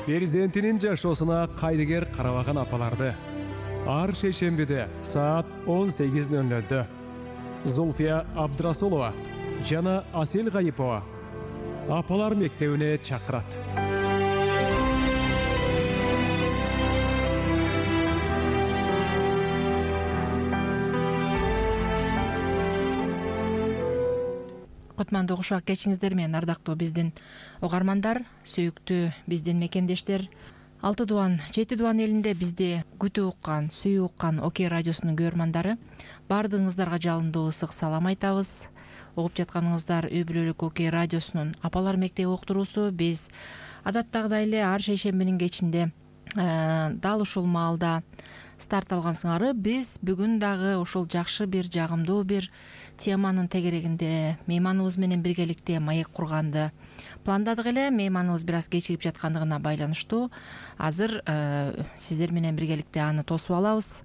Перзентинин жашоосуна кайдыгер карабаган апаларды ар шейшембиде саат 18:00 Зульфия Абдрасулова жана Асел Гайипова апалар мектебине чакырат. Кутмандуу кушак кечиңиздер менен ардактуу биздин угармандар, сүйүктүү биздин мекендештер. 6 дубан, 7 дубан элинде бизди күтүп уккан, сүйүп уккан Окей радиосунун көрөрмандары, баардыгыңыздарга жалындуу ысык салам айтабыз. Угуп жатканыңыздар үй бүлөлүк Окей радиосунун апалар мектеби уктуруусу. Биз адаттагыдай эле ар шейшембинин кечинде дал ушул маалда старт алган сыңары биз бүгүн дагы ушул жакшы бир жагымдуу бир теманын тегерегинде мейманыбыз менен биргеликте маек курганды пландадык эле. Мейманыбыз бир аз кечигип жаткандыгына байланыштуу азыр сиздер менен биргеликте аны тосуп алабыз.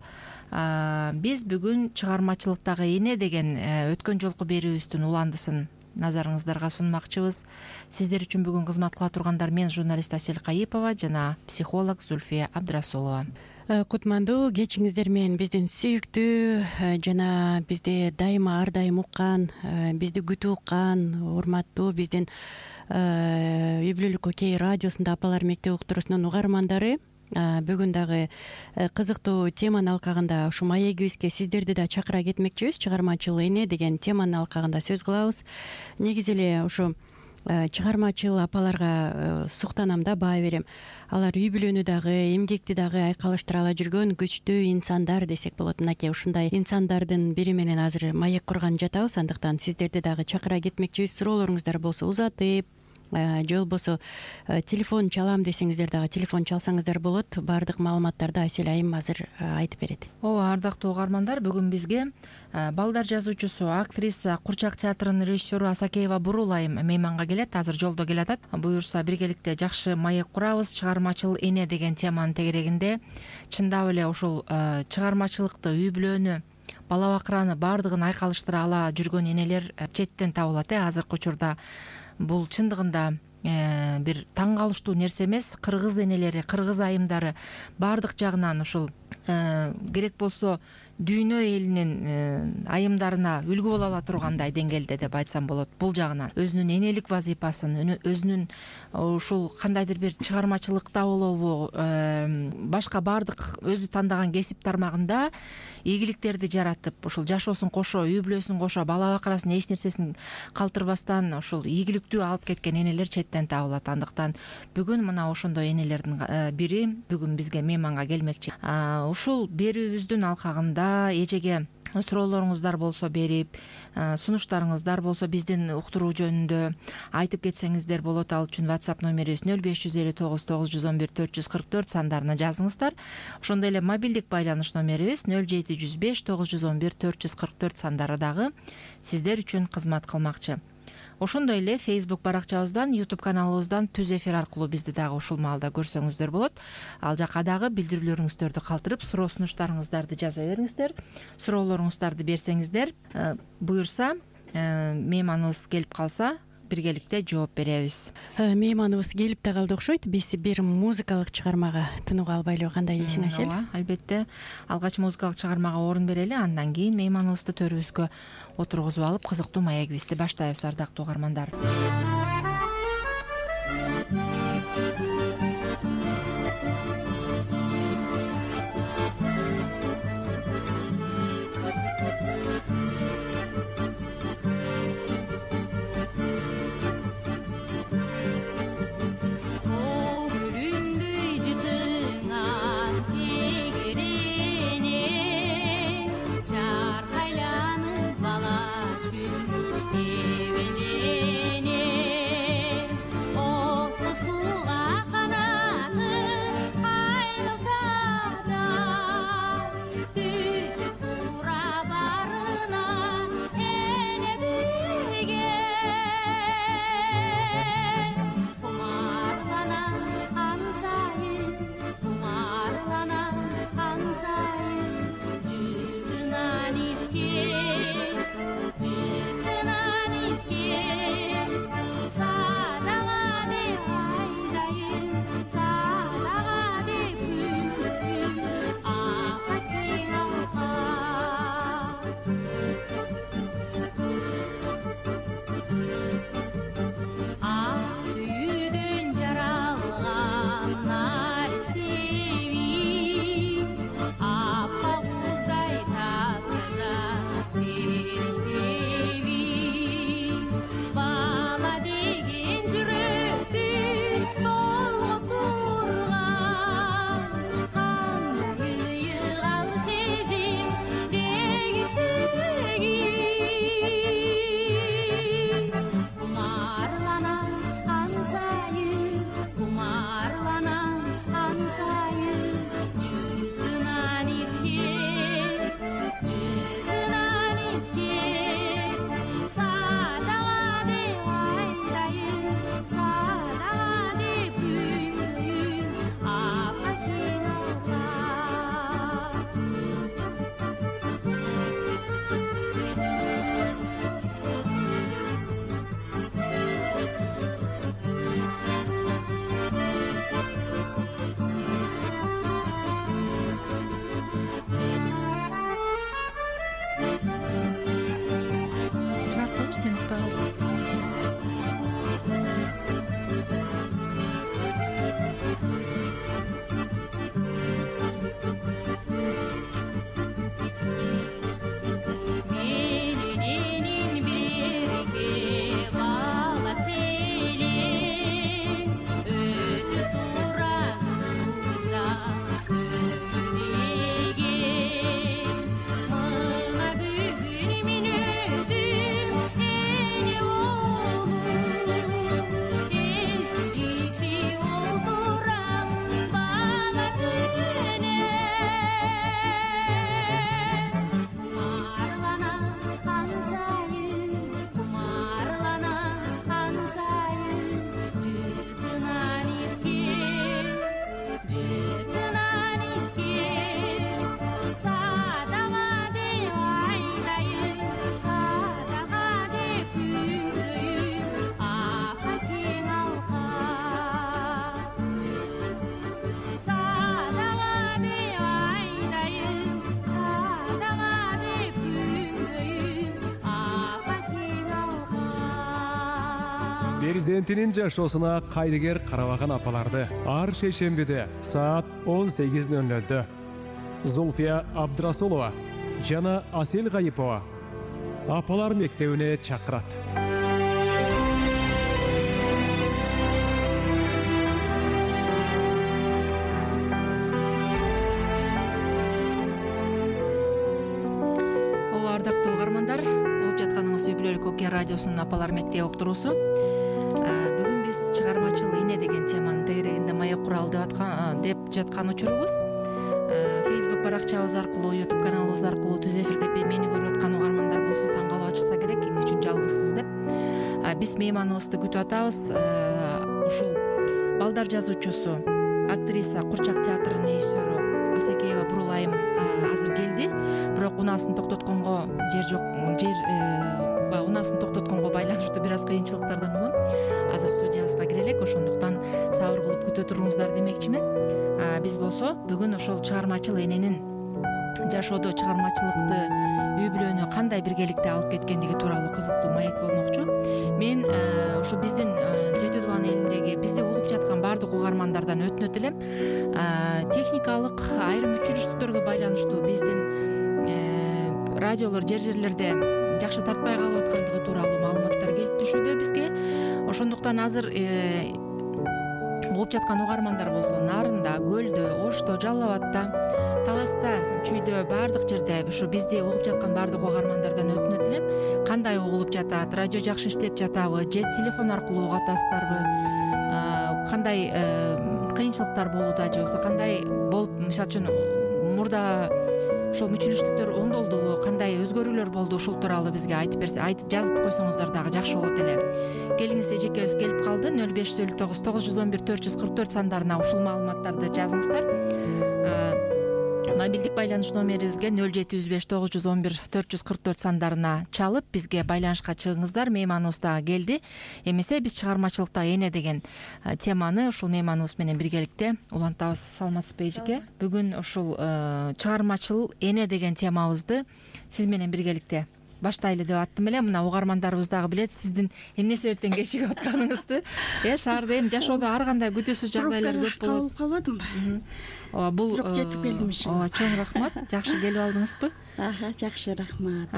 Биз бүгүн чыгармачылыктагы эне деген өткөн жолку берүүбүздүн уландысын назарыңыздарга сунмакчыбыз. Сиздер үчүн бүгүн кызмат кыла тургандар мен журналист Асел Гайипова жана психолог Зульфия Абдрасулова. Кутмандуу кечиңиздер менен биздин сүйүктүү жана бизди дайыма ар дайым уккан, бизди күтүп уккан урматтуу биздин үй бүлөлүк Окей радиосунда апалар мектеби уктуруусунун угармандары. Бүгүн дагы кызыктуу теманын алкагында ушу маегибизге сиздерди да чакыра кетмекчибиз. Чыгармачыл эне деген теманын алкагында сөз кылабыз. Негизи эле ушу чыгармачыл апаларга суктанам да, баа берем. Алар үй бүлөнү дагы, эмгекти дагы айкалыштыра ала жүргөн күчтүү инсандар десек болот. Мынакей ушундай инсандардын бири менен азыр маек курган жатабыз. Андыктан сиздерди дагы чакыра кетмекчибиз. Суроолоруңуздар болсо узатып, же болбосо телефон чалам десеңиздер дагы телефон чалсаңыздар болот. Баардык маалыматтарды Асел айым азыр айтып берет. Ооба, ардактуу угармандар, бүгүн бизге балдар жазуучусу, актриса, Курчак театрынын режиссеру Асакеева Бурул айым мейманга келет. Азыр жолдо келатат. Буюрса биргеликте жакшы маек курабыз. Чыгармачыл эне деген теманын тегерегинде чындап эле ушул чыгармачылыкты, үй бүлөнү, бала бакыраны баардыгын айкалыштыра ала жүргөн энелер четтен табылат. Азыркы учурда бул чындыгында бир таң калыштуу нерсе эмес. Кыргыз энелери, кыргыз айымдары баардык жагынан ушул керек болсо дүйнө элинин айымдарына үлгү боло ала тургандай деңгээлде деп айтсам болот. Бул жагынан өзүнүн энелик вазифасын, өзүнүн ушул кандайдыр бир чыгармачылыкта болобу, башка баардык өзү тандаган кесип тармагында ийгиликтерди жаратып, ушул жашоосун кошо, үй бүлөсүн кошо, бала бакырасын эч нерсесин калтырбастан ушул ийгиликтүү алып кеткен энелер четтен табылат. Андыктан бүгүн мына ошондой энелердин бири бүгүн бизге мейманга келмекчи. Ушул берүүбүздүн алкагында эжеге суроолоруңуздар болсо берип, сунуштарыңыздар болсо биздин уктуруу жөнүндө айтып кетсеңиздер болот. Ал үчүн WhatsApp номерибиз 0559 911 444 сандарына жазыңыздар. Ошондой эле мобилдик байланыш номерибиз 0705 911 444 сандары дагы сиздер үчүн кызмат кылмакчы. Ошондой эле Facebook баракчабыздан, YouTube каналыбыздан түз эфир аркылуу бизди дагы ушул маалда көрсөңүздөр болот. Ал жака дагы билдирүүлөрүңүздөрдү калтырып, суроо сунуштарыңыздарды жаза бериңиздер. Суроолоруңуздарды берсеңиздер, буюрса мейманыбыз келип калса биргеликте жооп беребиз. Мейманыбыз келип да калды окшойт. Биз бир музыкалык чыгармага тынууга албайлыбы, кандай дейсиң Асел? Ооба, албетте. Алгач музыкалык чыгармага орун берели, андан кийин мейманыбызды төрүбүзгө отургузуп алып, кызыктуу маегибизди баштайбыз, ардактуу угармандар. Çarkaylanıp bala çün evelenip перзентинин жашоосуна кайдыгер карабаган апаларды ар шейшембиде саат 18:00 Зулфия Абдрасулова жана Асел Гайыпова апалар мектебине чакырат. Ардактуу угармандар, угуп жатканыңыз үй бүлөлүк окуя радиосунун апалар мектеби уктуруусу. Бүгүн биз чыгармачыл эне деген теманын тегерегинде маек куралы деп жаткан учурубуз. Facebook баракчабыз аркылуу, YouTube каналыбыз аркылуу түз эфирде мени көрүп аткан угармандар болсо таң калып атышса керек, эмне үчүн жалгызсыз деп. Биз мейманыбызды күтүп атабыз. Ушул балдар жазуучусу, актриса, Курчак театрынын режиссеру Асакеева Бурулайым азыр келди. Бирок унаасын токтотконго жер жок. Унаасын токтотконго байланыштуу бир аз кыйынчылыктардан улам. Азыр студиябызга кире элек, ошондуктан сабыр кылып күтө туруңуздар демекчимин. Биз болсо бүгүн ошол чыгармачыл эненин жашоодо чыгармачылыкты үй бүлөнү кандай биргеликте алып кеткендиги тууралуу кызыктуу маек болмокчу. Мен ушул биздин Жети Дубан элиндеги бизди угуп жаткан баардык угармандардан өтүнөт элем. Техникалык айрым өчүрүштүктөргө байланыштуу биздин радиолор жерлерде жакшы тартпай калып аткандыгы тууралуу маалыматтар келип түшүүдө бизге. Ошондуктан азыр угуп жаткан угармандар болсо Нарында, Көлдө, Ошто, Жалал Абадта, Таласта, Чүйдө, баардык жерде ушу бизди угуп жаткан баардык угармандардан өтүнөт элем. Кандай угулуп жатат, радио жакшы иштеп жатабы, же телефон аркылуу угуп атасыздарбы, кандай кыйынчылыктар болууда, же болбосо кандай болуп, мисалы үчүн мурда ошол мүчүлүштүктөр оңдолдубу, кандай өзгөрүүлөр болду, ушул тууралуу бизге айтып берсе, жазып койсоңуздар дагы жакшы болот эле. Келиңиз, эжекебиз келип калды. 0509 911 444 сандарына ушул маалыматтарды жазыңыздар. Мобилдик байланыш номерибизге 0705 911 444 сандарына чалып бизге байланышка чыгыңыздар. Мейманыбыз дагы келди. Эмесе биз чыгармачылыкта эне деген теманы ушул мейманыбыз менен биргеликте улантабыз. Саламатсызбы эжеке? Бүгүн ушул чыгармачыл эне деген темабызды сиз менен биргеликте баштайлы деп аттым эле. Мына угармандарыбыз дагы билет сиздин эмне себептен кечигип атканыңызды. Шаарда эми жашоодо ар кандай күтүүсүз жагдайлар көп болот. Калбадымбы? Бул жок, жетип келдим иши. Чоң рахмат. Жакшы келип алдыңызбы? Жакшы, рахмат.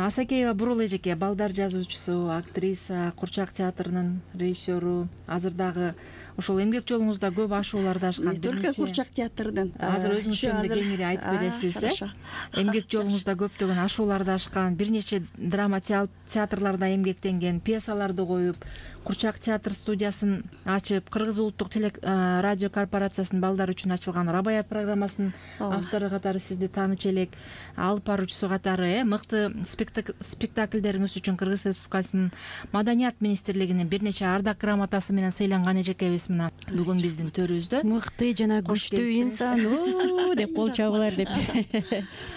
Асакеева Бурул эжеке, балдар жазуучусу, актриса, Курчак театрынын режиссеру. Азыр дагы ошол эмгек жолуңузда көп ашууларды ашкан. Только Курчак театрдын. Азыр өзүңүз жөнүндө кеңири айтып бересиз, Эмгек жолуңузда көптөгөн ашууларды ашкан, бир нече драма театрларда эмгектенген, пьесаларды коюп, Курчак театр студиясын ачып, Кыргыз улуттук радио корпорациясынын балдар үчүн ачылган Рабаят программасынын автору катары сизди тааныч элек, алып баруучусу катары мыкты спектакльдериңиз үчүн Кыргыз Республикасынын Маданият министрлигинин бир нече ардак грамотасы менен сыйланган эжекебиз мына бүгүн биздин төрүбүздө. Мыкты жана күчтүү инсан деп кол чабуулар деп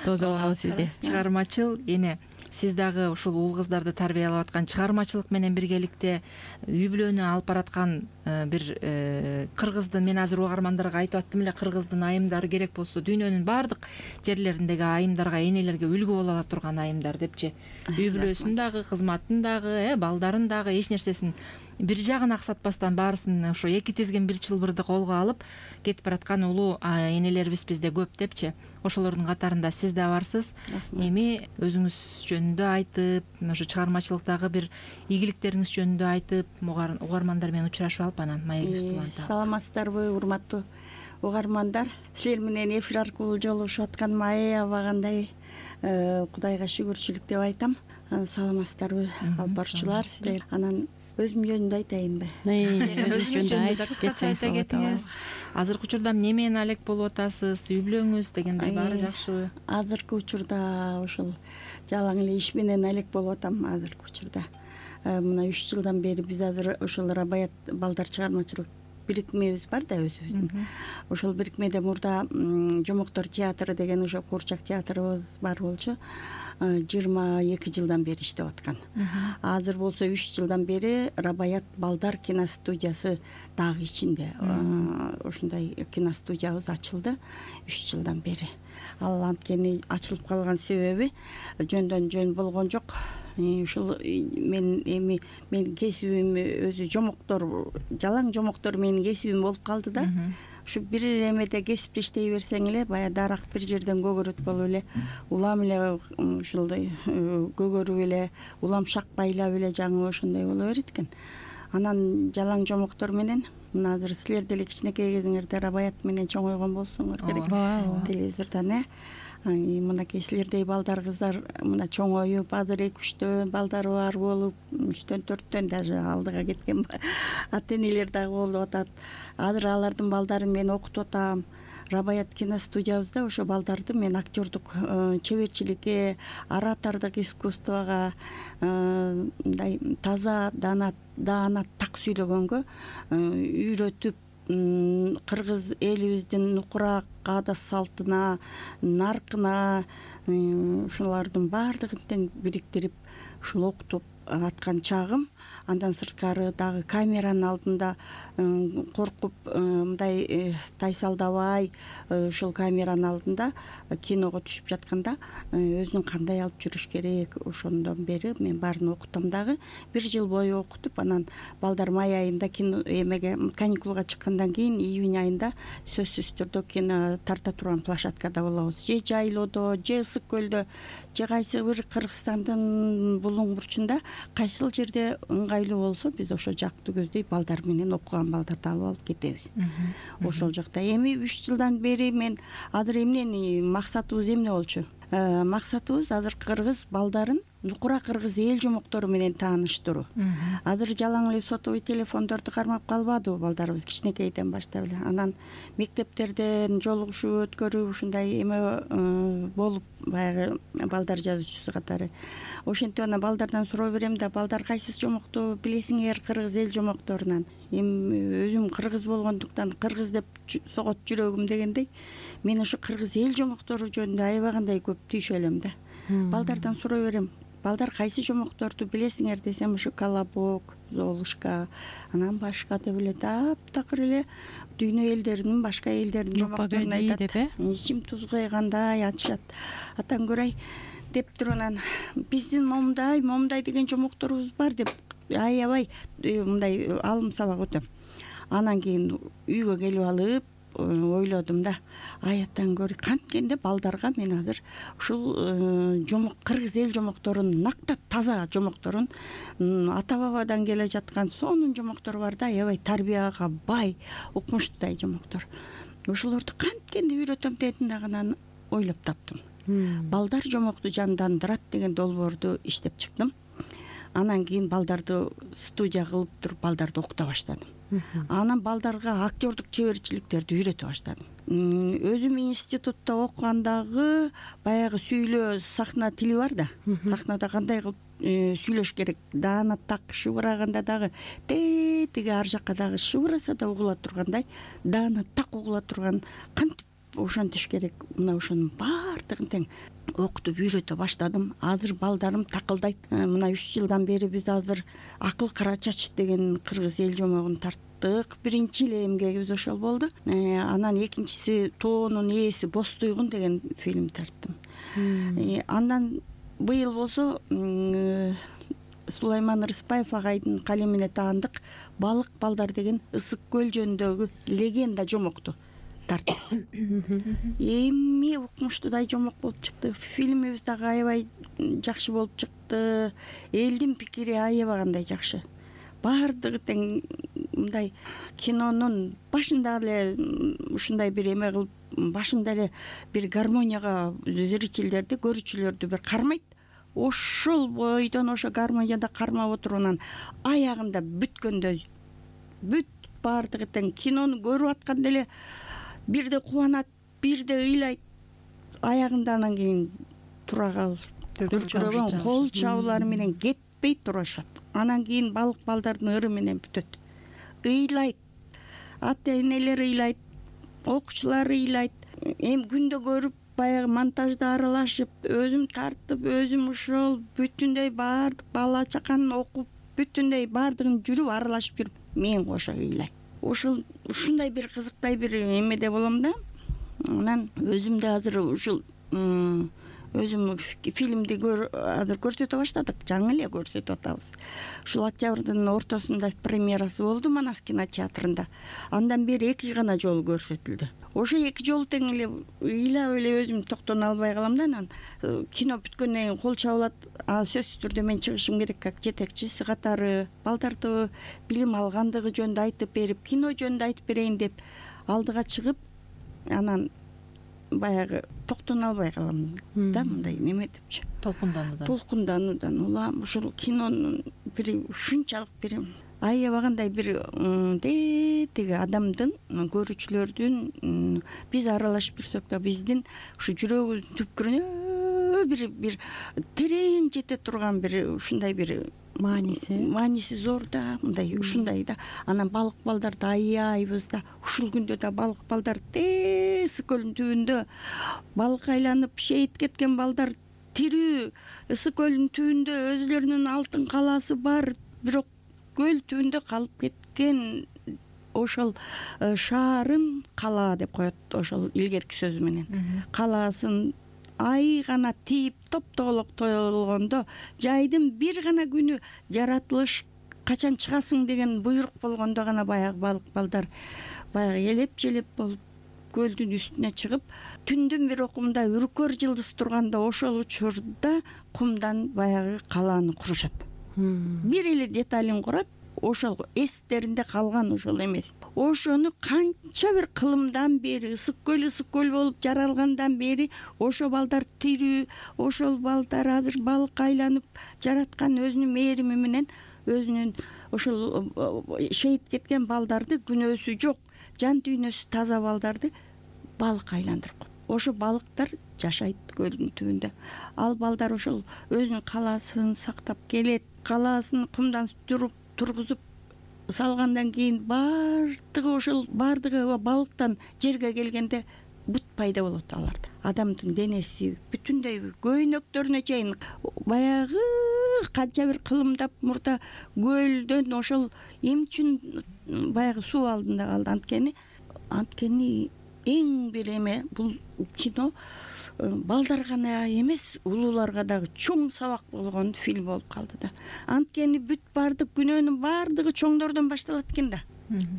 тосуп алабыз сизди. Чыгармачыл эне, сиз дагы ушул уул кыздарды тарбиялап аткан, чыгармачылык менен биргеликте үй бүлөнү алып бараткан бир кыргыздын, мен азыр угармандарга айтып аттым эле, кыргыздын айымдары керек болсо дүйнөнүн баардык жерлериндеги айымдарга, энелерге үлгү боло ала турган айымдар депчи. Үй бүлөсүн дагы, кызматын дагы, балдарын дагы, эч нерсесин бир жагын аксатпастан баарысын ошо эки тизген бир чылбырды колго алып кетип бараткан улуу энелерибиз бизде көп депчи. Ошолордун катарында сиз да барсыз. Эми өзүңүз жөнүндө айтып, ошо чыгармачылыктагы бир ийгиликтериңиз жөнүндө айтып, угармандар менен учурашып алып анан маегибизди улантабыз. Саламатсыздарбы, урматтуу угармандар? Силер менен эфир аркылуу жолугушуп атканыма аябагандай Кудайга шүгүрчүлүк деп айтам. Саламатсыздарбы, алып баруучулар, силер? Анан өзүм жөнүндө айтайынбы? Өзүңүз жөнүндө кыскача айта кетиңиз. Азыркы учурда эмне менен алек болуп атасыз, үй бүлөңүз дегендей баары жакшыбы? Азыркы учурда ошол жалаң эле иш менен алек болуп атам. Азыркы учурда мына 3 жылдан бери биз азыр ошол Рабаят балдар чыгармачылык бирикмебиз бар да өзүбүздүн. Ошол бирикмеде мурда Жомоктор театры деген ошо Курчак театрыбыз бар болчу. 22 жылдан бери иштеп аткан. Азыр болсо 3 жылдан бери Рабаят балдар киностудиясы дагы ичинде. Ошондой киностудиябыз ачылды 3 жылдан бери. Ал анткени ачылып калган себеби жөндөн жөн болгон жок. ушул мен эми менин кесибим өзү жомоктор, жалаң жомоктор менин кесибим болуп калды да. Ушу бир эмеде кесипти иштей берсең эле баягы дарак бир жерден көгөрөт болуп эле, улам эле ушундай көгөрүп эле, улам шакпайлап эле жаңы ошондой боло берет экен. Анан жалаң жомоктор менен мына азыр силер деле кичинекей кезиңерде рабаят менен чоңойгон болсоңор керек телевизордон. Мынакей силердей балдар, кыздар мына чоңоюп, азыр 2-3 балдары бар болуп, 3-4 даже алдыга кеткен ата энелер дагы болуп атат. Азыр алардын балдарын мен окутуп атам. Рабаят киностудиябызда ошо балдарды мен актёрдук чеберчиликке, оратордук искусствого, мындай таза даана так сүйлөгөнгө үйрөтүп, кыргыз элибиздин нукура каада салтына, наркына ушулардын баардыгын тең бириктирип ушул окутуп аткан чагым. Андан сырткары дагы камеранын алдында коркуп мындай тайсалдабай ушул камеранын алдында киного түшүп жатканда өзүн кандай алып жүрүш керек, ошондон бери мен баарын окутам дагы. 1 жыл бою окутуп, анан балдар май айында кино эмеге каникулга чыккандан кийин июнь айында сөзсүз түрдө кино тарта турган площадкада болобуз. Же жайлоодо, же ысык көлдө, же кайсы бир Кыргызстандын булуң бурчунда кайсыл жерде ыңгайлуу болсо биз ошо жакты көздөй балдар менен окуган балдарды алып алып кетебиз. Ошол жакта эми 3 жылдан бери мен азыр эмнени максатыбыз эмне болчу? Максатыбыз азыр кыргыз балдарын нукура кыргыз эл жомоктору менен тааныштыруу. Азыр жалаң эле сотовый телефондорду кармап калбадыбы балдарыбыз кичинекейден баштап эле. Анан мектептерден жолугушуп өткөрүп ушундай эме болуп баягы балдар жазуучусу катары. Ошентип анан балдардан суроо берем да, балдар кайсы жомокту билесиңер кыргыз эл жомокторунан? Эми өзүм кыргыз болгондуктан кыргыз деп согот жүрөгүм дегендей, мен ошо кыргыз эл жомоктору жөнүндө аябагандай көп түйшө элем да. Балдардан суроо берем, балдар кайсы жомокторду билесиңер десем, ошо колобок, золушка, анан башка деп эле таптакыр эле дүйнө элдеринин, башка элдердин жомокторун айтат. Ичим туз койгандай атышат. Атаң көрөй деп туруп анан биздин момундай деген жомокторубуз бар деп аябай мындай алым сабак өтөм. Анан кийин үйгө келип алып ойлодум да, атаң көр, канткенде балдарга мен азыр ушул жомок кыргыз эл жомокторун, накта таза жомокторун, ата бабадан келе жаткан сонун жомоктору бар да, аябай тарбияга бай, укмуштуудай жомоктор. Ошолорду канткенде үйрөтөм дедим дагы, анан ойлоп таптым. Балдар жомокту жандандырат деген долбоорду иштеп чыктым. Анан кийин балдарды студия кылып туруп балдарды окута баштадым. Анан балдарга актёрдук чеберчиликтерди үйрөтө баштадым. Өзүм институтта окугандагы баягы сүйлөө сахна тили бар да. Сахнада кандай кылып сүйлөш керек, даана так шыбыраганда дагы тиги ар жакка дагы шыбыраса да угула тургандай, даана так угула турган кантип ошентиш керек. Мына ошонун баардыгын тең окутуп үйрөтө баштадым. Азыр балдарым такылдайт. Мына 3 жылдан бери биз азыр Акыл Кара Чач деген кыргыз эл жомогун тарттык. Биринчи эле эмгегибиз ошол болду. Анан экинчиси Тоонун ээси Боз Туйгун деген фильм тарттым. Андан быйыл болсо Сулайман Рыспаев агайдын калемине таандык Балык балдар деген ысык көл жөнүндөгү легенда жомокту тарттым. Эми укмуштуудай жомок болуп чыкты. Фильмибиз дагы аябай жакшы болуп чыкты. Элдин пикири аябагандай жакшы. Баардыгы тең мындай кинонун башында эле ушундай бир эме кылып, башында эле бир гармонияга зрительдерди, көрүүчүлөрдү бир кармайт. Ошол бойдон ошо гармонияда кармап отуруп, анан аягында бүткөндө бүт баардыгы тең кинону көрүп атканда эле бирде кубанат, бирде ыйлайт. Аягында анан кийин тура калып, дүркүрөгөн кол чабуулары менен кетпей турушат. Анан кийин Балык балдардын ыры менен бүтөт. Ыйлайт. Ата энелер ыйлайт, окуучулар ыйлайт. Эми күндө көрүп, баягы монтажда аралашып, өзүм тартып, өзүм ошол бүтүндөй баардык бала чаканын окуп, бүтүндөй баардыгын жүрүп аралашып жүрүп, мен кошо ыйлайм. Ушундай бир кызыктай бир эмеде болом да. Анан өзүм да азыр ушул өзүм фильмди азыр көрсөтө баштадык, жаңы эле көрсөтүп атабыз. Ушул октябрдын ортосунда премьерасы болду Манас кинотеатрында. Андан бери 2 гана жолу көрсөтүлдү. Ошо 2 жолу тең эле ыйлап эле өзүм токтоно албай калам да, анан кино бүткөндөн кийин кол чабылат. Сөзсүз түрдө мен чыгышым керек, как жетекчиси катары балдарды билим алгандыгы жөнүндө айтып берип, кино жөнүндө айтып берейин деп алдыга чыгып, анан баягы токтоно албай калам да, мындай неме депчи. Толкундануудан улам ушул кинонун бир ушунчалык бир аябагандай бир тиги адамдын, көрүүчүлөрдүн биз аралашып жүрсөк да биздин ушу жүрөгүбүздүн түпкүрүнө бир терең жете турган бир ушундай бир мааниси зор да, мындай ушундай да. Анан балык балдарды аябайбыз да. Ушул күндө да балык балдар Ысык көлдүн түбүндө балык айланып шейит кеткен балдар тирүү. Ысык көлдүн түбүндө өзүлөрүнүн алтын калаасы бар, бирок көл түбүндө калып кеткен ошол шаарын кала деп коет, ошол илгерки сөзү менен. Калаасын ай гана тийип топтоголок тоелгондо, жайдын бир гана күнү жаратылыш качан чыгасың деген буйрук болгондо гана баягы балык балдар баягы элеп-желеп болуп көлдүн үстүнө чыгып, түндүн бир окумда үркөр жылдыз турганда ошол учурда кумдан баягы калааны курушат. Бир эле деталин курат, ошол эстеринде калган ошол эмес. Ошону канча бир кылымдан бери, ысык көл болуп жаралгандан бери ошо балдар тирүү, ошол балдар азыр балык айланып жараткан өзүнүн мээрими менен өзүнүн ошол шейит кеткен балдарды, күнөөсү жок, жан дүйнөсү таза балдарды балык айландырып коет. Ошо балыктар жашайт көлдүн түбүндө. Ал балдар ошол өзүнүн калаасын сактап келет. Калаасын кумдан тургузуп салгандан кийин бардыгы балыктан жерге келгенде бут пайда болот аларда. Адамдын денеси бүтүндөй көйнөктөрүнө чейин баягы канча бир кылымдап мурда көлдөн ошол эмне үчүн баягы суу алдында калды? Анткени эң бир эме бул кино балдарга гана эмес, улууларга дагы чоң сабак болгон фильм болуп калды да. Анткени бүт бардык күнөөнүн бардыгы чоңдордон башталат экен да.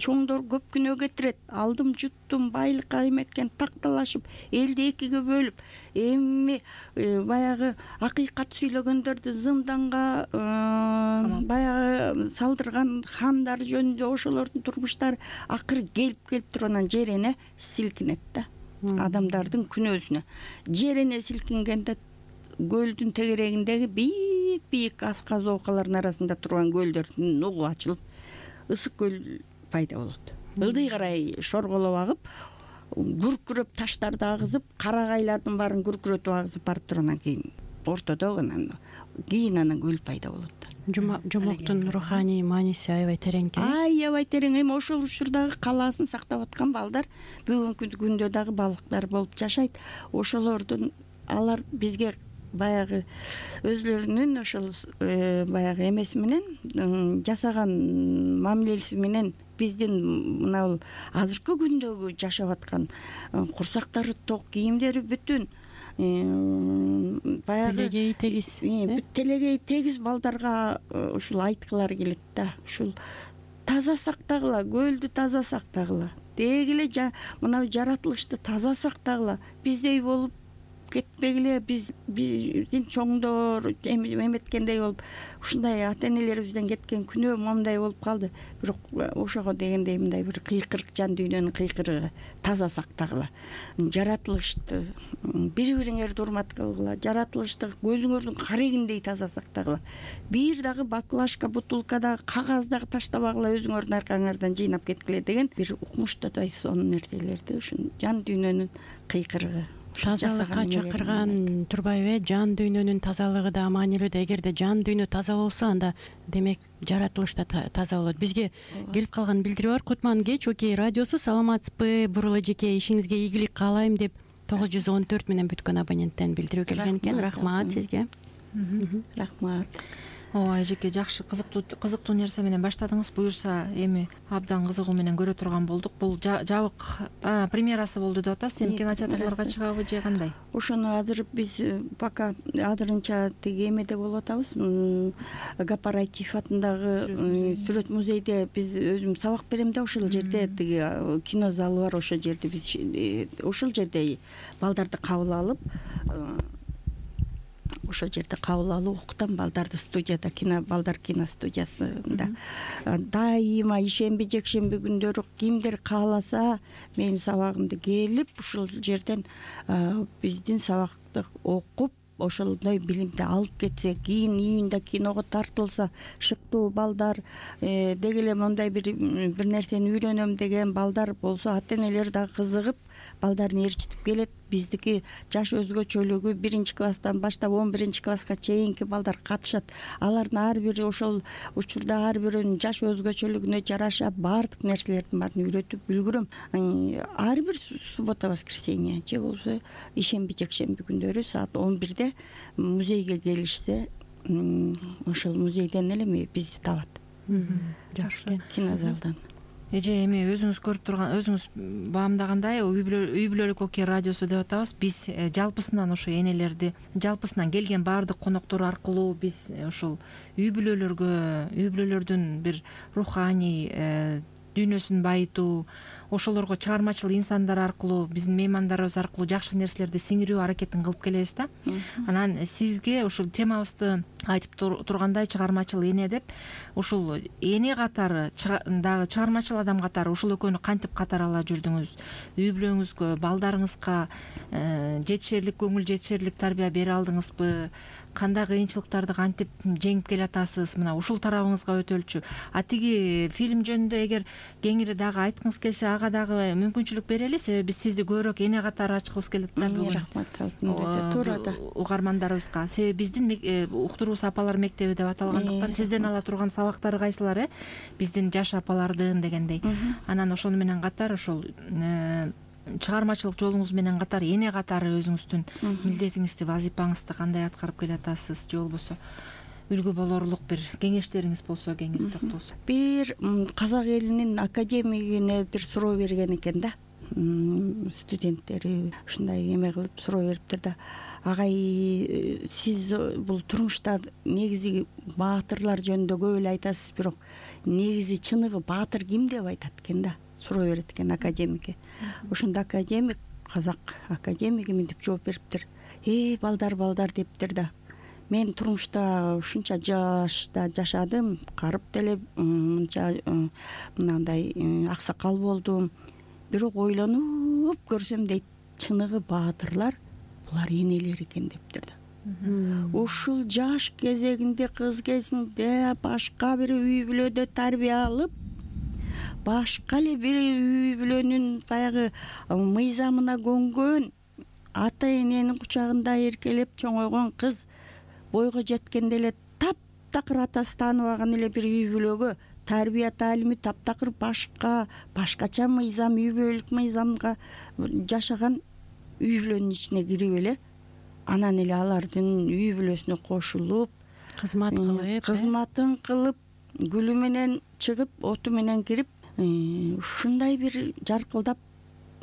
Чоңдор көп күнөө кетирет. Алдым жуттум, байлыкка эметкен такталашып, элди экиге бөлүп, эми баягы акыйкат сүйлөгөндөрдү зынданга баягы салдырган хандар жөнүндө ошолордун турмуштары акыры келип туруп анан жерене силкинет да. Адамдардын күнөөсүнө жерене силкингенде көлдүн тегерегиндеги бийик асказоокалардын арасында турган көлдөрдүн угу ачылып, ысык көл пайда болот. Ылдый карай шорголоп агып, күркүрөп таштарды агызып, карагайлардын баарын күркүрөтүп агызып барып тургандан кийин ортодо анан көл пайда болот. Жомоктун руханий мааниси аябай терең экен. Аябай терең. Эми ошол учурдагы калаасын сактап аткан балдар бүгүнкү күндө дагы балыктар болуп жашайт. Ошолордун алар бизге баягы өзлөрүнүн ошол баягы эмеси менен жасаган мамилеси менен биздин мына азыркы күндөгү жашап аткан курсактары ток, кийимдери бүтүн баягы телегей тегиз балдарга ушул айткылары келет да. Ушул таза сактагыла, көлдү таза сактагыла, деги эле мына жаратылышты таза сактагыла, биздей болуп кетпегиле, биздин чоңдор эметкендей болуп, ушундай ата энелерибизден кеткен күнөө момундай болуп калды. Бирок ошого дегендей мындай бир кыйкырык, жан дүйнөнүн кыйкырыгы, таза сактагыла, жаратылышты бири-бириңерди урмат кылгыла, жаратылышты көзүңөрдүн карегиндей таза сактагыла, бир дагы баклажка, бутылкадагы кагаз дагы таштабагыла, өзүңөрдүн аркаңардан жыйнап кеткиле деген бир укмуштадай сонун нерселерди, ушун жан дүйнөнүн кыйкырыгы. Тазалыкка чакырган турбайбы? Жан дүйнөнүн тазалыгы да маанилүү да. Эгерде жан дүйнө таза болсо, анда демек жаратылыш да таза болот. Бизге келип калган билдирүү бар. Кутман кеч, Окей радиосу. Саламатсызбы? Бурула эжеке, ишиңизге ийгилик каалайм деп 914 менен бүткөн абоненттен билдирүү келген экен. Рахмат сизге. Рахмат. ооба эжеке, жакшы, кызыктуу нерсе менен баштадыңыз. Буюрса эми абдан кызыгуу менен көрө турган болдук. Бул жабык премьерасы болду деп атасыз. Эми кинотеатрларга чыгабы же кандай? Ошону азыр биз пока азырынча тиги эмеде болуп атабыз. Гапарайтиев атындагы сүрөт музейде биз өзүм сабак берем да, ошол жерде тиги кино залы бар, ошол жерде биз ошол жерде балдарды кабыл алып, ошол жерде кабыл алып окутам балдарды. Студияда, балдар кино студиясында дайыма ишемби жекшемби күндөрү кимдер кааласа менин сабагымды келип ушул жерден биздин сабакты окуп, ошондой билимди алып кетсе, кийин июнда киного тартылса, шыктуу балдар, деги эле мондай бир нерсени үйрөнөм деген балдар болсо, ата энелер да кызыгып балдарын ээрчитип келет. Биздики жаш өзгөчөлүгү 1-класстан баштап 11-класска чейинки балдар катышат. Алардын ар бири ошол учурда ар биринин жаш өзгөчөлүгүнө жараша баардык нерселердин баарын үйрөтүп үлгүрөм. Ар бир суббота, воскресенье же болбосо ишемби жекшемби күндөрү саат 11-де музейге келишсе, ошол музейден эле бизди табат. Жакшы. Кинозалдан. Эже, эми өзүңүз көрүп турган, өзүңүз баамдагандай, үй бүлөлүк окуя радиосу деп атабыз. Биз жалпысынан ошо энелерди, жалпысынан келген баардык коноктор аркылуу биз ошол үй бүлөлөрдүн бир руханий дүйнөсүн байытуу, ошолорго чыгармачыл инсандар аркылуу, биздин меймандарыбыз аркылуу жакшы нерселерди сиңирүү аракетин кылып келебиз да. Анан сизге ушул темабызды айтып тургандай, чыгармачыл эне деп, ушул эне катары дагы чыгармачыл адам катары ушул экөөнү кантип катары ала жүрдүңүз? Үй бүлөңүзгө, балдарыңызга жетишерлик көңүл жетишерлик тарбия бере алдыңызбы? Кандай кыйынчылыктарды кантип жеңип келатасыз? Мына ушул тарабыңызга өтөлчү. Тиги фильм жөнүндө эгер кеңири дагы айткыңыз келсе, ага дагы мүмкүнчүлүк берели, себеби биз сизди көбүрөөк эне катары ачкыбыз келет да бүгүн. Рахмат, туура да. Угармандарыбызга. Себеби биздин уктуруус апалар мектеби деп аталгандыктан сизден ала турган сабактары кайсылар, биздин жаш апалардын дегендей. Анан ошону менен катар ошол чыгармачылык жолуңуз менен катар эне катары өзүңүздүн милдетиңизди, вазипаңызды кандай аткарып келатасыз, же болбосо үлгү болорлук бир кеңештериңиз болсо кеңири токтолсо. Бир казак элинин академигине бир суроо берген экен да, студенттери ушундай эме кылып суроо бериптир да. Агай, сиз бул турмушта негизи баатырлар жөнүндө көп эле айтасыз, бирок негизи чыныгы баатыр ким деп айтат экен да, суроо берет экен академикке. Ошондо академик, казак академиги мынтип жооп бериптир. Балдар дептир да. Мен турмушта ушунча жашта жашадым, карып деле мынча мындай аксакал болдум. Бирок ойлонуп көрсөм дейт, чыныгы баатырлар булар энелер экен дептир да. Ушул жаш кезегинде, кыз кезинде башка бир үй бүлөдө тарбия алып, башка эле бир үй бүлөнүн баягы мыйзамына көнгөн, ата эненин кучагында эркелеп чоңойгон кыз бойго жеткенде эле таптакыр атасы тааныбаган эле бир үй бүлөгө тарбия таалими таптакыр башкача мыйзам, үй бүлөлүк мыйзамга жашаган үй бүлөнүн ичине кирип эле, анан эле алардын үй бүлөсүнө кошулуп, кызматын кылып, гүлү менен чыгып, оту менен кирип, ушундай бир жаркылдап,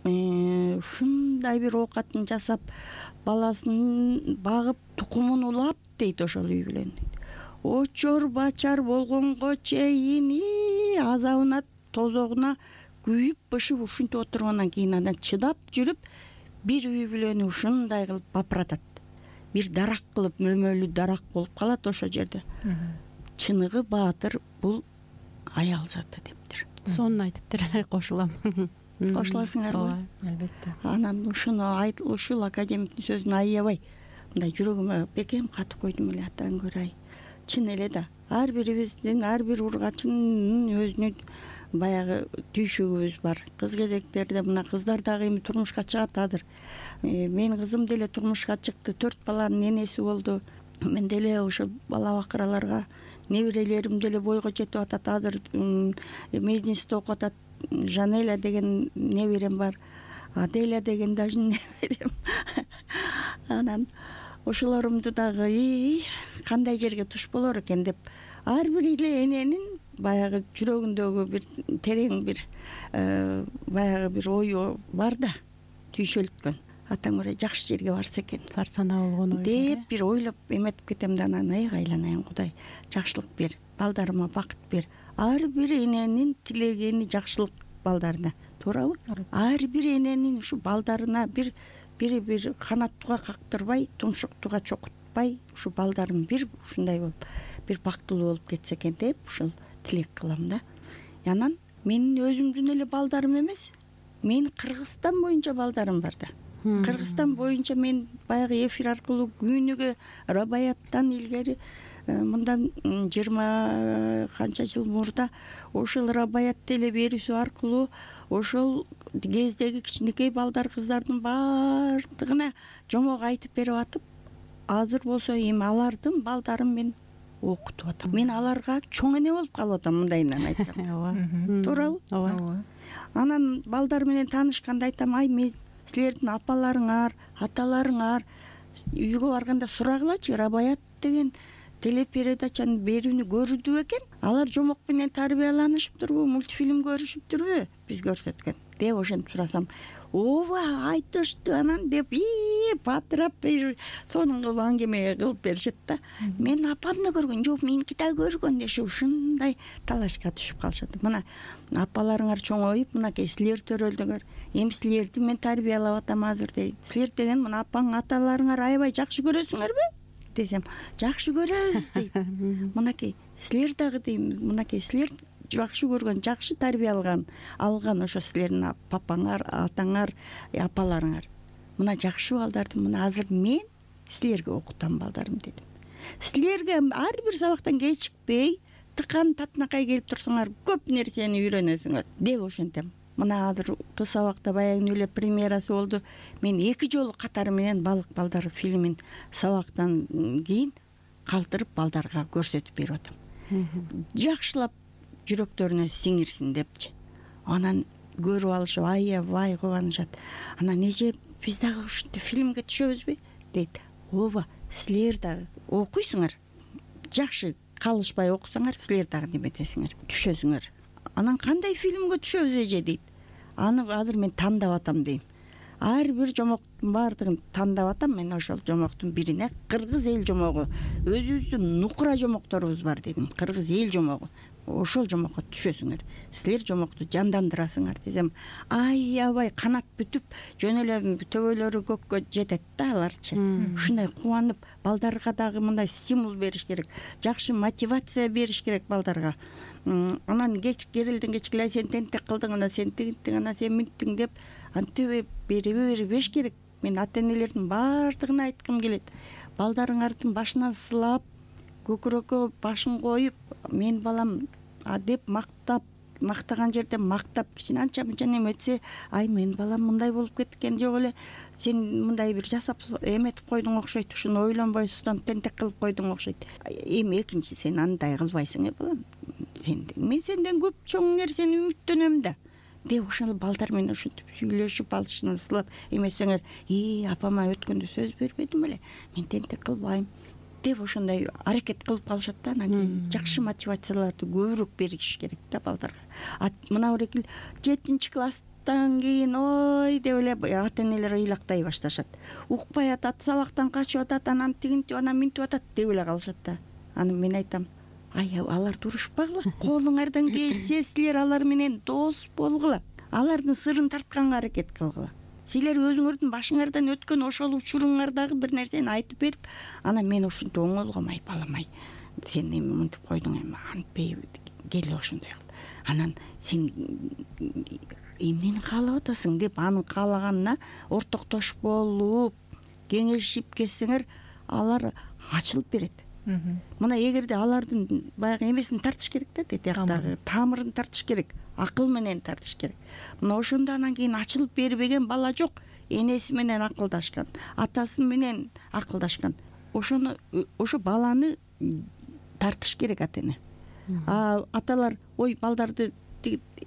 ушундай бир оокатын жасап, баласын багып, тукумун улап дейт ошол үй бүлөнүн. Очор бачар болгонго чейин азабына, тозогуна күйүп, бышып ушинтип отургандан кийин анан чыдап жүрүп, бир үй бүлөнү ушундай кылып бапыратат. Бир дарак кылып, мөмөлүү дарак болуп калат ошол жерде. Чыныгы баатыр бул аял заты дептир. Сонун айтыптыр, кошулам. Кошуласыңарбы? Албетте. Анан ушул академиктин сөзүн аябай мындай жүрөгүмө бекем катып койдум эле, атан көрөй. Чын эле да, ар бирибиздин, ар бир ургачынын өзүнүн баягы түйшүгүбүз бар. Кыз кезектерде мына кыздар дагы эми турмушка чыгат азыр. Менин кызым деле турмушка чыкты, 4 баланын энеси болду. Мен деле ошо бала бакыраларга неберелерим деле бойго жетип атат. Азыр мединститутта окуп атат. Жанеля деген неберем бар. Аделя деген даже неберем. Анан ошолорумду дагы кандай жерге туш болор экен деп ар бир эле эненин баягы жүрөгүндөгү бир терең бир баягы бир ою бар да, түйшөлткөн. Атаң ырай жакшы жерге барса экен, сар санаа болгон ой деп бир ойлоп эметип кетем да, анан айланайын, Кудай жакшылык бер, балдарыма бакыт бер. Ар бир эненин тилегени жакшылык балдарына, туурабы? Ар бир эненин ушу балдарына бир канаттууга кактырбай, тумшуктууга чокутпай, ушу балдарым бир ушундай болуп, бир бактылуу болуп кетсе экен деп ушул тилек кылам да. Анан менин өзүмдүн эле балдарым эмес, менин Кыргызстан боюнча балдарым бар да. Кыргызстан боюнча мен баягы эфир аркылуу күнүгө Рабаяттан илгери мындан 20 канча жыл мурда ошол Рабаятты эле берүүсү аркылуу ошол кездеги кичинекей балдар, кыздардын баардыгына жомок айтып берип атып, азыр болсо эми алардын балдарын мен окутуп атам. Мен аларга чоң эне болуп калып атам, мындайынан айтсам. Ооба. Туурабы? Ооба. Анан балдар менен таанышканда айтам, мен силердин апаларыңар, аталарыңар үйгө барганда сурагылачы, Рабаят деген телепередачаны берүүнү көрдү экен, алар жомок менен тарбияланышыптырбы, мультфильм көрүшүптүрбү, биз көрсөткөн деп ошентип сурасам, ооба айтышты анан деп батырап сонун кылып аңгеме кылып беришет да. Мен апам да көргөн, жок меники да көргөн дешип ушундай талашка түшүп калышат. Мына апаларыңар чоңоюп, мынакей силер төрөлдүңөр, эми силерди мен тарбиялап атам азыр дейт. Силер деген мына апаң, аталарыңар аябай жакшы көрөсүңөрбү десем, жакшы көрөбүз дейт. Мынакей силер дагы дейм, мынакей силер жакшы көргөн, жакшы тарбия алган ошо силердин папаңар, атаңар, апаларыңар. Мына жакшы балдарды мына азыр мен силерге окутам балдарым дедим. Силерге ар бир сабактан кечикпей, тыкан татынакай келип турсуңар, көп нерсени үйрөнөсүңөр деп ошентем. Мына азыр кыз сабакта баягы эле премьерасы болду. Мен 2 жолу катары менен Балык балдар фильмин сабактан кийин калтырып балдарга көрсөтүп берип атам. Жакшылап жүрөктөрүнө сиңирсин депчи. Анан көрүп алышып аябай кубанышат. Анан эже биз дагы ушинтип фильмге түшөбүзбү дейт. Ооба, силер дагы окуйсуңар. Жакшы калышпай окусаңар, силер дагы неметесиңер, түшөсүңөр. Анан кандай фильмге түшөбүз эже дейт. Аны азыр мен тандап атам дейм. Ар бир жомоктун баардыгын тандап атам. Мен ошол жомоктун бирине кыргыз эл жомогу, өзүбүздүн нукура жомокторубуз бар дедим. Кыргыз эл жомогу. Ошол жомокко түшөсүңөр. Силер жомокту жандандырасыңар десем, аябай канат бүтүп, жөн эле төбөлөрү көккө жетет да аларчы. Ушундай кубанып, балдарга дагы мындай стимул бериш керек, жакшы мотивация бериш керек балдарга. Анан керилден кечке эле сен тентек кылдың, анан сен тигиттиң, анан сен минттиң деп антип бербеш керек. Мен ата энелердин баардыгына айткым келет. Балдарыңардын башынан сылап, көкүрөккө башын коюп, мен балам деп мактаган жерде мактап, кичине анча мынча неметсе, ай мен балам мындай болуп кеткен, жок эле сен мындай бир жасап эметип койдуң окшойт, ушуну ойлонбойсуң, тентек кылып койдуң окшойт. Эми экинчи сен андай кылбайсың балам. Мен сенден көп чоң нерсени үмүттөнөм да деп ошол балдар менен ушинтип сүйлөшүп, алышынан сылап эмесеңер, апама өткөндө сөз бербедим эле, мен тентек кылбайм деп ошондой аракет кылып калышат да. Анан жакшы мотивацияларды көбүрөөк бериш керек да балдарга. Мына бир 7 класстан кийин ой деп эле ата энелер ыйлактай башташат. Укпай атат, сабактан качып атат, анан тигинтип, анан минтип атат деп эле калышат да. Анан мен айтам, алар турушпагыла. Колуңардан келсе силер алар менен дос болгула. Алардын сырын тартканга аракет кылгыла. Силер өзүңөрдүн башыңардан өткөн ошол учуруңардагы бир нерсени айтып берип, анан мен ушинтип оңолгом, балам, сен эми мынтип койдуң, эми антпей кел ошондой кыл. Анан сен эмнени каалап атасың деп анын каалаганына ортоктош болуп, кеңешип кетсеңер, алар ачылып берет. Мына эгерде алардын баягы эмесин тартыш керек да, тияктагы тамырын тартыш керек, акыл менен тартыш керек. Мына ошондо анан кийин ачылып бербеген бала жок. Энеси менен акылдашкан, атасы менен акылдашкан. Ошо баланы тартыш керек ата эне. Аталар ой балдарды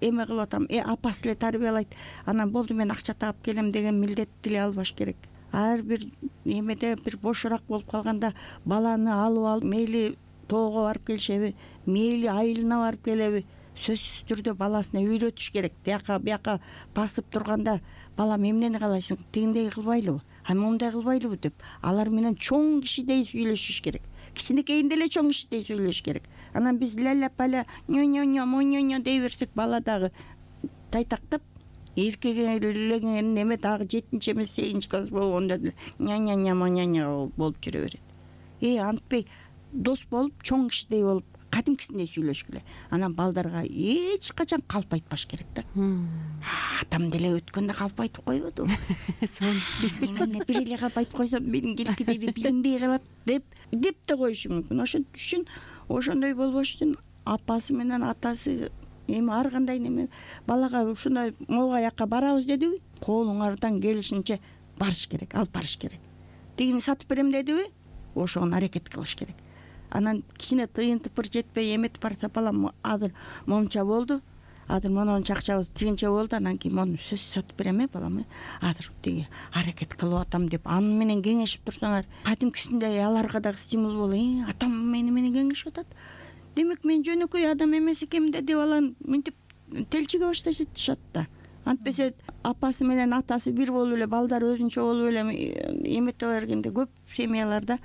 эме кылып атам, апасы эле тарбиялайт, анан болду мен акча таап келем деген милдетти эле албаш керек. ар бир эмеде бир бошураак болуп калганда баланы алып мейли тоого барып келишеби, мейли айылына барып келеби, сөзсүз түрдө баласына үйрөтүш керек. Бияка басып турганда балам эмнени каалайсың, тигиндей кылбайлыбы, моундай кылбайлыбы деп алар менен чоң кишидей сүйлөшүш керек. Кичинекейинде эле чоң кишидей сүйлөшүш керек. Анан биз ля-ля-паля нё-нё-нё дей берсек, бала дагы тайтактап эркегелеген эме дагы 7 эмес 8 класс болгондо деле ня-ня болуп жүрө берет. Антпей дос болуп, чоң кишидей болуп, кадимкисиндей сүйлөшкүлө. Анан балдарга эч качан калп айтпаш керек да. Атам деле өткөндө калп айтып койбоду. Мен бир эле калп айтып койсом, менин келкидейди билинбей калат деп да коюшу мүмкүн. Ошон үчүн ошондой болбош үчүн апасы менен атасы эми ар кандай неме балага ушундай могу жакка барабыз дедиби, колуңардан келишинче барыш керек, алып барыш керек. Тигини сатып берем дедиби, ошого аракет кылыш керек. Анан кичине тыйын тыпыр жетпей эметип барса, балам азыр момча болду, азыр монунча акчабыз тигинче болду, анан кийин мону сөз сатып берем балам, азыр тиги аракет кылып атам деп аны менен кеңешип турсаңар, кадимкисиндей аларга дагы стимул болот. Атам мени менен кеңешип атат, демек мен жөнөкөй адам эмес экенмин деп баланы мынтип телчиге башташат да. Антпесе апасы менен атасы бир болуп эле, балдар өзүнчө болуп эле эмете бергенде көп семьяларда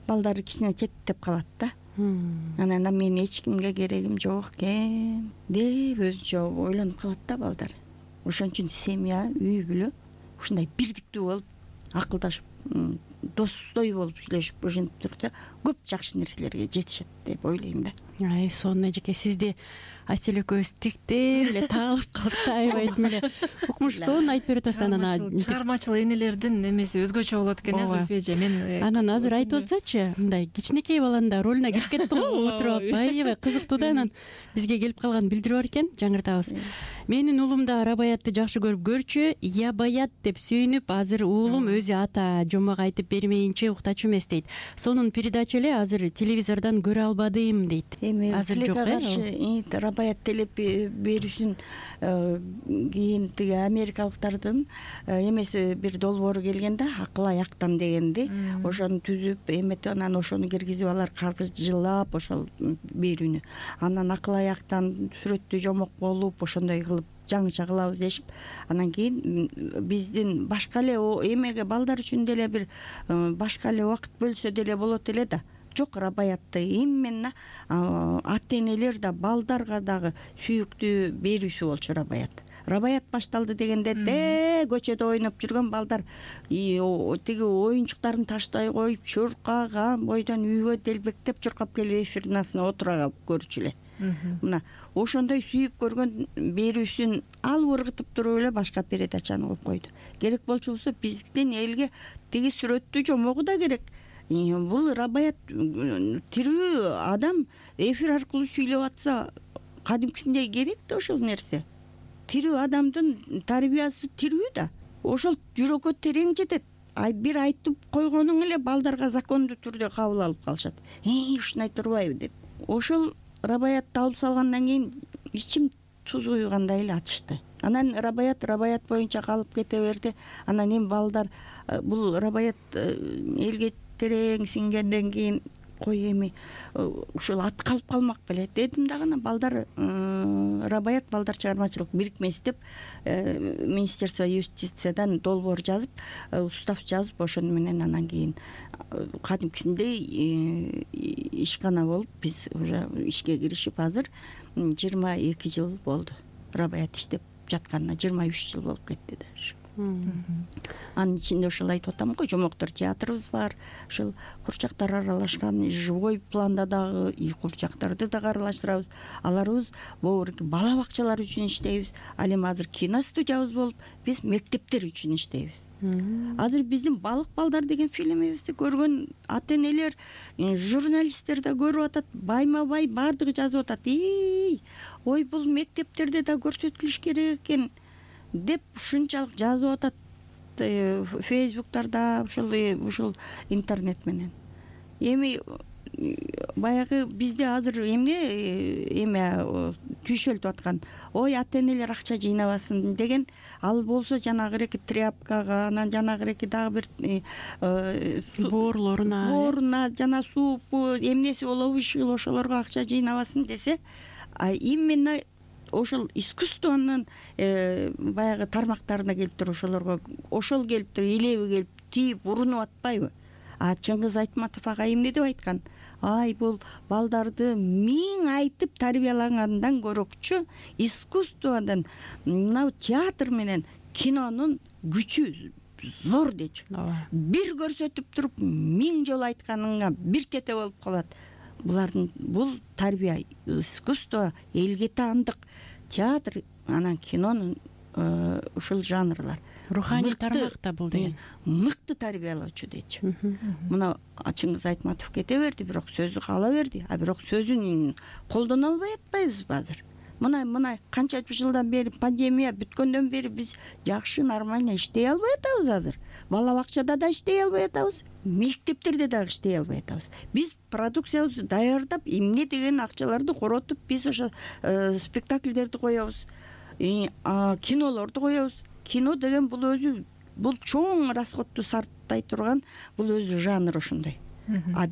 балдары кичине четтеп калат да. Анан мен эч кимге керегим жок экен деп өзүнчө ойлонуп калат да балдар. Ошон үчүн семья, үй бүлө ушундай бирдиктүү болуп, акылдашып, достой болуп сүйлөшүп ошентип турса, көп жакшы нерселерге жетишет деп ойлойм да. Сонун эжеке, сизди Асель экөөбүз тиктеп эле таалып калдык да, аябай эле укмуш сонун айтып берип атасыз. Анан чыгармачыл энелердин эмеси өзгөчө болот экен, Зульфия эже. Мен анан азыр айтып атсачы, мындай кичинекей баланын да ролуна кирип кеттиң го, отуруп алып аябай кызыктуу да. Анан бизге келип калганын билдирип бар экен, жаңыртабыз. Менин уулум да Рабаятты жакшы көрүп көрчү, я Баят деп сүйүнүп, азыр уулум өзү ата жомок айтып бермейинче уктачу эмес дейт. Сонун передача эле, азыр телевизордон көрө албадым дейт. Азыр жок Рабаят телеп берүүсүн кийин тиги америкалыктардын эмеси бир долбоору келген да, акыл аяктан дегенди. Ошону түзүп эметип, анан ошону киргизип алар каргыжылап ошол берүүнү. Анан акыл аяктан сүрөттүү жомок болуп, ошондой кылып жаңыча кылабыз дешип, анан кийин биздин башка эле эмеге балдар үчүн деле бир башка эле убакыт бөлсө деле болот эле да. Жок, Рабаятты именно ата-энелер да балдарга дагы сүйүктүү берүүсү болчу Рабаят. Рабаят башталды дегенде көчөдө ойноп жүргөн балдар тиги оюнчуктарын таштай коюп, чуркаган бойдон үйгө делбектеп чуркап келип эфирдин астына отура калып көрчү эле. Мына ошондой сүйүп көргөн берүүсүн алып ыргытып туруп эле башка передачаны коюп койду. Керек болчу болсо биздин элге тиги сүрөттүү жомогу да керек. Бул Рабаят тирүү адам эфир аркылуу сүйлөп атса, кадимкисиндей керек да ошол нерсе. Тирүү адамдын тарбиясы тирүү да. Ошол жүрөккө терең жетет. Бир айтып койгонуң эле балдарга закондуу түрдө кабыл алып калышат. Ушундай турбайбы деп. Ошол Рабаятты алып салгандан кийин ичим туз куйгандай эле ачышты. Анан Рабаят боюнча калып кете берди. Анан эми балдар бул Рабаят элге терең сиңгенден кийин кой эми ушул ат калып калмак беле дедим дагы. Анан балдар Рабаят балдар чыгармачылык бирикмеси деп Министерство юстициядан долбоор жазып, устав жазып, ошону менен анан кийин кадимкисиндей ишкана болуп биз уже ишке киришип, азыр 22 жыл болду Рабаят иштеп жатканына, 23 жыл болуп кетти даже. Анын ичинде ошол айтып атам го, жомоктор театрыбыз бар, ошол курчактар аралашкан живой планда дагы курчактарды дагы аралаштырабыз. Аларыбыз бала бакчалар үчүн иштейбиз. Ал эми азыр кино студиябыз болуп, биз мектептер үчүн иштейбиз. Азыр биздин Балык балдар деген фильмибизди көргөн ата-энелер, журналисттер да көрүп атат, байма-бай баардыгы жазып атат. Ой, бул мектептерде да көрсөтүлүш керек экен деп ушунчалык жазып атат фейсбуктарда, ушул интернет менен. Эми баягы бизде азыр эме түйшөлтүп аткан, ой ата энелер акча жыйнабасын деген, ал болсо жанагы эки тряпкага, анан жанагы эки дагы бир бооруна жана суу эмнеси болобу ишил ошолорго акча жыйнабасын десе, именно ошол искусствонун баягы тармактарына келип туруп ошолорго ошол келип туруп элеби келип тийип урунуп атпайбы? Чыңгыз Айтматов ага эмне деп айткан? Бул балдарды миң айтып тарбиялагандан көрөкчү искусстводон мына театр менен кинонун күчү зор дечү. Бир көрсөтүп туруп миң жолу айтканыңа бир тете болуп калат. Бул тарбия, искусство, элге таандык театр анан кинонун ушул жанрлар руханий тармак да бул деген мыкты тарбиялоочу дечү. Мына Чыңгыз Айтматов кете берди, бирок сөзү кала берди, бирок сөзүн колдоно албай атпайбызбы азыр? Мына канча жылдан бери пандемия бүткөндөн бери биз жакшы нормально иштей албай атабыз азыр. Бала бакчада да иштей албай атабыз, мектептерде дагы иштей албай атабыз. Биз продукциябызды даярдап, эмне деген акчаларды коротуп, биз ошо спектакльдерди коебуз, кинолорду коебуз. Кино деген бул өзү чоң расходду сарптай турган бул өзү жанр ошондой.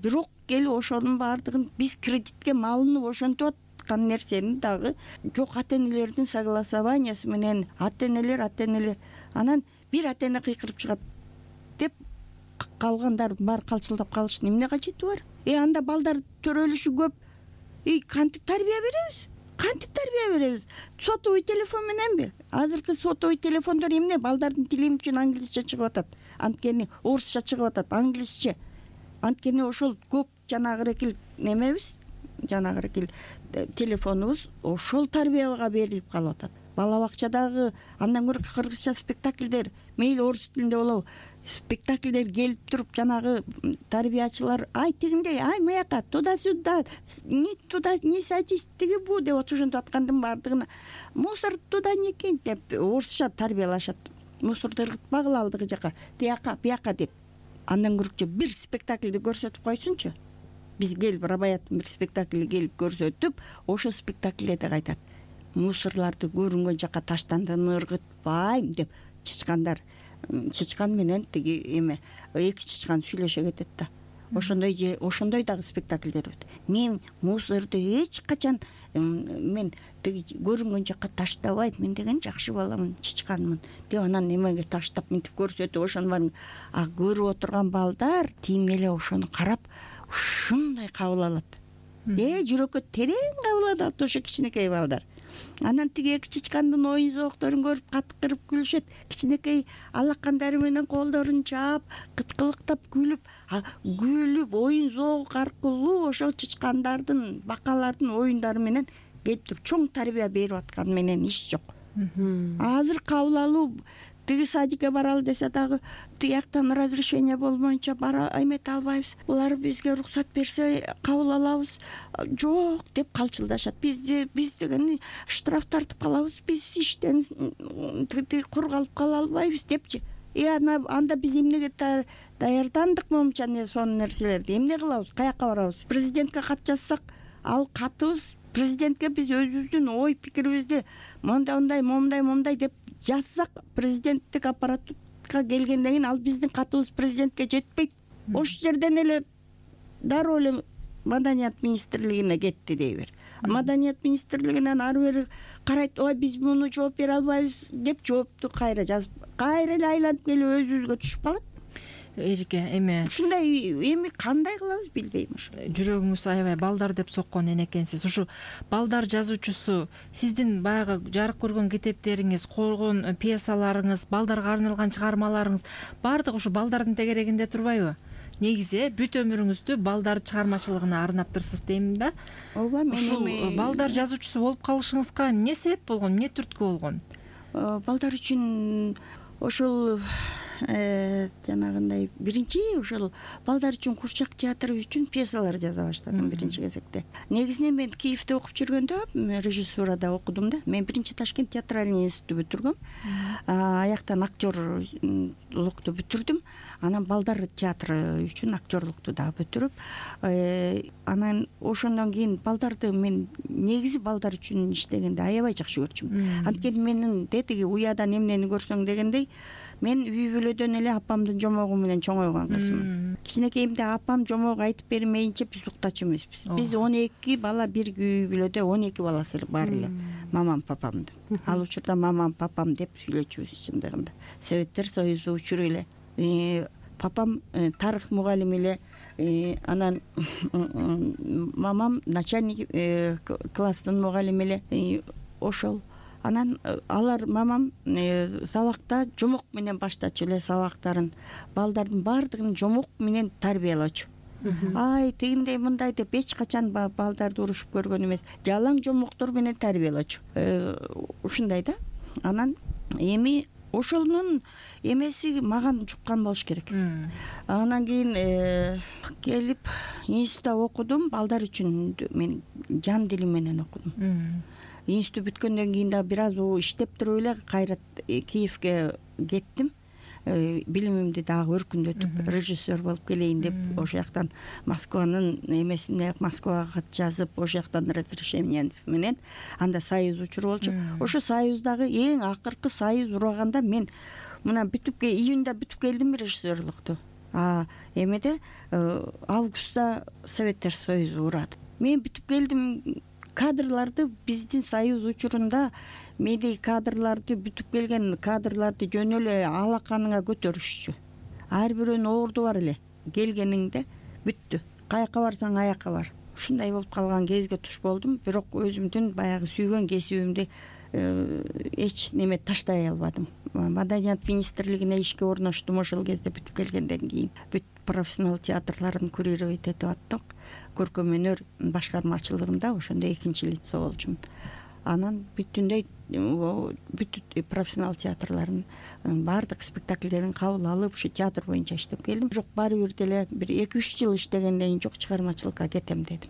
Бирок келип ошонун баардыгын биз кредитке малынып ошентип аткан нерсени дагы жок, ата энелердин согласованиясы менен ата энелер анан бир ата эне кыйкырып чыгат деп калгандар баары калчылдап калыштын эмне кажети бар? Анда балдар төрөлүшү көп. Кантип тарбия беребиз? Сотовый телефон мененби? Азыркы сотовый телефондор эмне? Балдардын тили үчүн англисче чыгып атат. Анткени орусча чыгып атат, англисче. Анткени ошол көп жанагы экил немебиз, жанагы экил телефонубуз ошол тарбияга берилип калып атат. Бала бакчадагы андан көрө кыргызча спектакльдер, мейли орус тилинде болобу, спектакльдер келип туруп жанагы тарбиячылар тигиндей, маяка туда-сюда, не садись, тиги бу деп ошентип аткандын баардыгына мусор туда не кинь деп орусча тарбиялашат. Мусорду ыргытпагыла алдыгы жака, бияка деп. Андан көрөкчү бир спектакльди көрсөтүп койсунчу. Биз келип Рабаяттын бир спектакльди келип көрсөтүп, ошол спектакльде айтат. Мусорларды көрүнгөн жака таштандын, ыргытпайм деп чычкан менен тиги эме эки чычкан сүйлөшө кетет да. Ошондой дагы спектакльдер өт. Мен мусорду эч качан мен тиги көрүнгөн жака таштабайм, мен деген жакшы баламын, чычканмын деп анан эмеге таштап мынтип көрсөтүп ошону бар. Көрүп отурган балдар тим эле ошону карап ушундай кабыл алат. Жүрөккө терең кабыл алат ошо кичинекей балдар. Анан тиги эки чычкандын оюн зоокторун көрүп катыкырып күлүшөт. Кичинекей алакандары менен колдорун чаап, кычкылыктап күлүп, оюн зоок аркылуу ошол чычкандардын, бакалардын оюндары менен келип туруп чоң тарбия берип аткан менен иш жок. Азыр кабыл алуу тиги садикке баралы десе дагы тияктан разрешение болмоюнча бара эмете албайбыз. Булар бизге уруксат берсе кабыл алабыз. Жок деп калчылдашат. Биз деген штраф тартып калабыз. Биз иштен кур калып кала албайбыз депчи. Анда биз эмнеге даярдандык момча сонун нерселерди эмне кылабыз? Каяка барабыз? Президентке кат жазсак, ал катыбыз президентке биз өзүбүздүн ой пикирибизди момундай деп жазсак, президенттик аппаратка келгенден кийин ал биздин катыбыз президентке жетпейт. Ошол жерден эле дароо эле Маданият министрлигине кетти дейбир. Маданият министрлигинен ары бери карайт, биз муну жооп бере албайбыз деп жоопту кайра жазып, кайра эле айланып келип өзүбүзгө түшүп калат. Эжеке эми ушундай эми кандай кылабыз билбейм. Ушу жүрөгүңүз аябай балдар деп соккон энекенсиз. Ушу балдар жазуучусу, сиздин баягы жарык көргөн китептериңиз, койгон пьесаларыңыз, балдарга арналган чыгармаларыңыз баардыгы ушу балдардын тегерегинде турбайбы? Негизи бүт өмүрүңүздү балдар чыгармачылыгына арнаптырсыз дейм да. Ооба, мен ушул балдар жазуучусу болуп калышыңызга эмне себеп болгон, эмне түрткү болгон? Балдар үчүн ошол жанагындай биринчи ошол балдар үчүн курчак театры үчүн пьесалар жаза баштадым биринчи кезекте. Негизинен мен Киевде окуп жүргөндө режиссурада окудум да. Мен биринчи Ташкент театральный институтту бүтүргөм. Аяктан актерлукту бүтүрдүм. Анан балдар театры үчүн актерлукту дагы бүтүрүп, анан ошондон кийин балдарды мен негизи балдар үчүн иштегенди аябай жакшы көрчүм. Анткени менин тетиги уядан эмнени көрсөң дегендей, мен үй бүлөдөн эле апамдын жомогу менен чоңойгон кызмын. Кичинекейимде апам жомок айтып бермейинче биз уктачу эмеспиз. Биз 12 бала бир үй бүлөдө 12 баласы бар эле. Мамам, папамдын. Ал учурда мамам, папам деп сүйлөчүбүз чындыгында. Советтер Союзу учуру эле. Папам тарых мугалими эле, анан мамам начальник класстын мугалими эле. Ошол анан алар мамам сабакта жомок менен баштачу эле сабактарын, балдардын баардыгын жомок менен тарбиялачу. Ай, тигиндей мындай деп эч качан балдарды урушуп көргөн эмес. Жалаң жомоктор менен тарбиялачу. Ушундай да. Анан эми ошонун эмеси маган жуккан болуш керек. Анан кийин келип институтта окудум. Балдар үчүн мен жан дилим менен окудум. Институт бүткөндөн кийин дагы бир аз иштеп туруп эле кайра Киевге кеттим. Билимимди дагы өркүндөтүп, режиссер болуп келейин деп, ошол жактан Москванын эмесине Москвага кат жазып, ошол жактан разрешение менен анда союз учуру болчу. Ошо союздагы эң акыркы союз ураганда мен мына июнда бүтүп келдим режиссерлукту. Эмеде августта Советтер Союзу урады. Мен бүтүп келдим. Кадрларды биздин союз учурунда медиа кадрларды бүтүп келген кадрларды жөн эле алаканыңа көтөрүшчү. Ар бирөөнүн орду бар эле. Келгениңде бүттү. Каяка барсаң аяка бар. Ушундай болуп калган кезге туш болдум. Бирок өзүмдүн баягы сүйгөн кесибимди эч неме таштай албадым. Маданият министрлигине ишке орноштум ошол кезде бүтүп келгенден кийин. Бүт профессионал театрларын курировать этип аттык. Көркөм өнөр башкармачылыгында ошондо экинчи лицо болчумун. Анан бүт профессионал театрларын баардык спектакльдерин кабыл алып, ушу театр боюнча иштеп келдим. Бирок баары бир деле бир 2-3 жыл иштегенден кийин жок, чыгармачылыкка кетем дедим.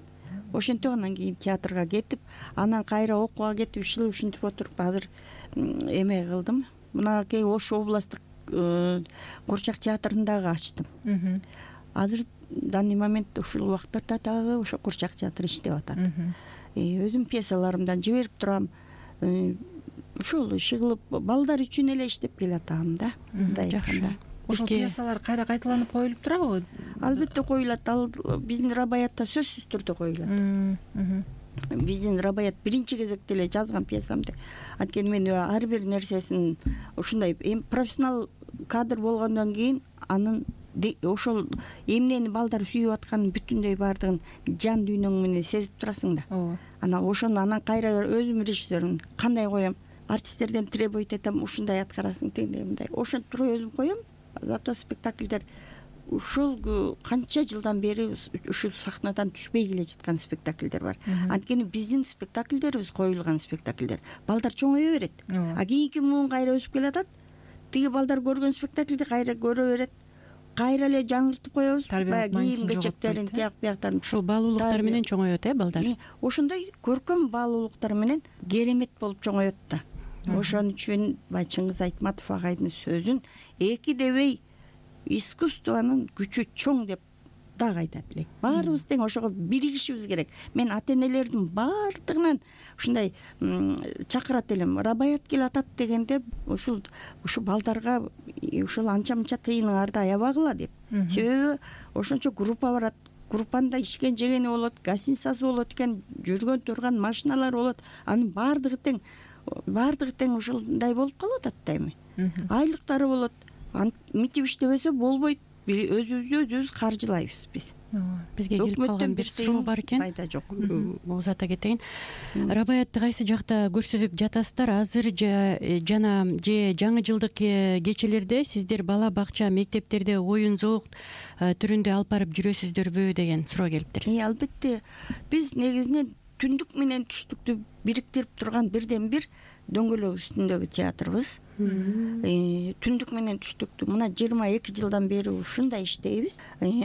Ошентип анан кийин театрга кетип, анан кайра окууга кетип, ушинтип отуруп азыр эме кылдым. Мынакей Ош областтык курчак театрын дагы ачтым. Азыр данный момент ушул убакытта дагы ошо курчак театры иштеп атат. Өзүм пьесаларымдан жиберип турам. Ушул иши кылып балдар үчүн эле иштеп келатам да. Мындай айтканда. Ошол пьесалар кайра кайталанып коюлуп турабы? Албетте коюлат. Ал биздин Рабаятта сөзсүз түрдө коюлат. Биздин Рабаят биринчи кезекте эле жазган пьесамды. Анткени мен ар бир нерсесин ушундай профессионал кадр болгондон кийин анын ошол эмнени балдар сүйүп атканын бүтүндөй баардыгын жан дүйнөң менен сезип турасың да. Анан ошону анан кайра өзүм режиссермин. Кандай коем? Артисттерден требовать этем, ушундай аткарасың, тигиндей мындай. Ошентип туруп өзүм коем. Зато спектакльдер ушул канча жылдан бери ушул сахнадан түшпөй келе жаткан спектакльдер бар. Анткени биздин спектакльдерибиз коюлган спектакльдер. Балдар чоңое берет. Кийинки муун кайра өсүп келатат. Тиги балдар көргөн спектакльди кайра көрө берет. Кайра эле жаңыртып коебуз. Кийим кечектерин, тияк-бияктарын. Ушул баалуулуктар менен чоңоет, балдар. Ошондой көркөм баалуулуктар менен керемет болуп чоңоет да. Ошон үчүн Чыңгыз Айтматов агайдын сөзүн эки дебей искусствонун күчү чоң деп дагы айтат элек. Баарыбыз тең ошого биригишибиз керек. Мен ата-энелердин баардыгынан ушундай чакырат элем. Рабаят кел атат дегенде ушу балдарга ушул анча-мынча тыйыныңарды аябагыла деп. Себеби ошончо группа барат. Группанда ишкен жегени болот, гостиницасы болот экен, жүргөн турган машиналар болот. Анын баардыгы тең ушундай болуп калып атат да эми. Айлыктары болот. Мынтип иштебесе болбойт. Өзүбүз каржылайбыз биз. Бизге келип калган бир суроо бар экен. Пайда жок. Узата кетейин. Рабаятты кайсы жакта көрсөтүп жатасыздар? Азыр жана жаңы жылдык кечелерде сиздер бала бакча, мектептерде оюн зоок түрүндө алып барып жүрөсүздөрбү деген суроо келиптир. Албетте. Биз негизинен түндүк менен түштүктү бириктирип турган бирден бир дөңгөлөк үстүндөгү театрыбыз. түндүк менен түштүктү мына 22 жылдан бери ушундай иштейбиз.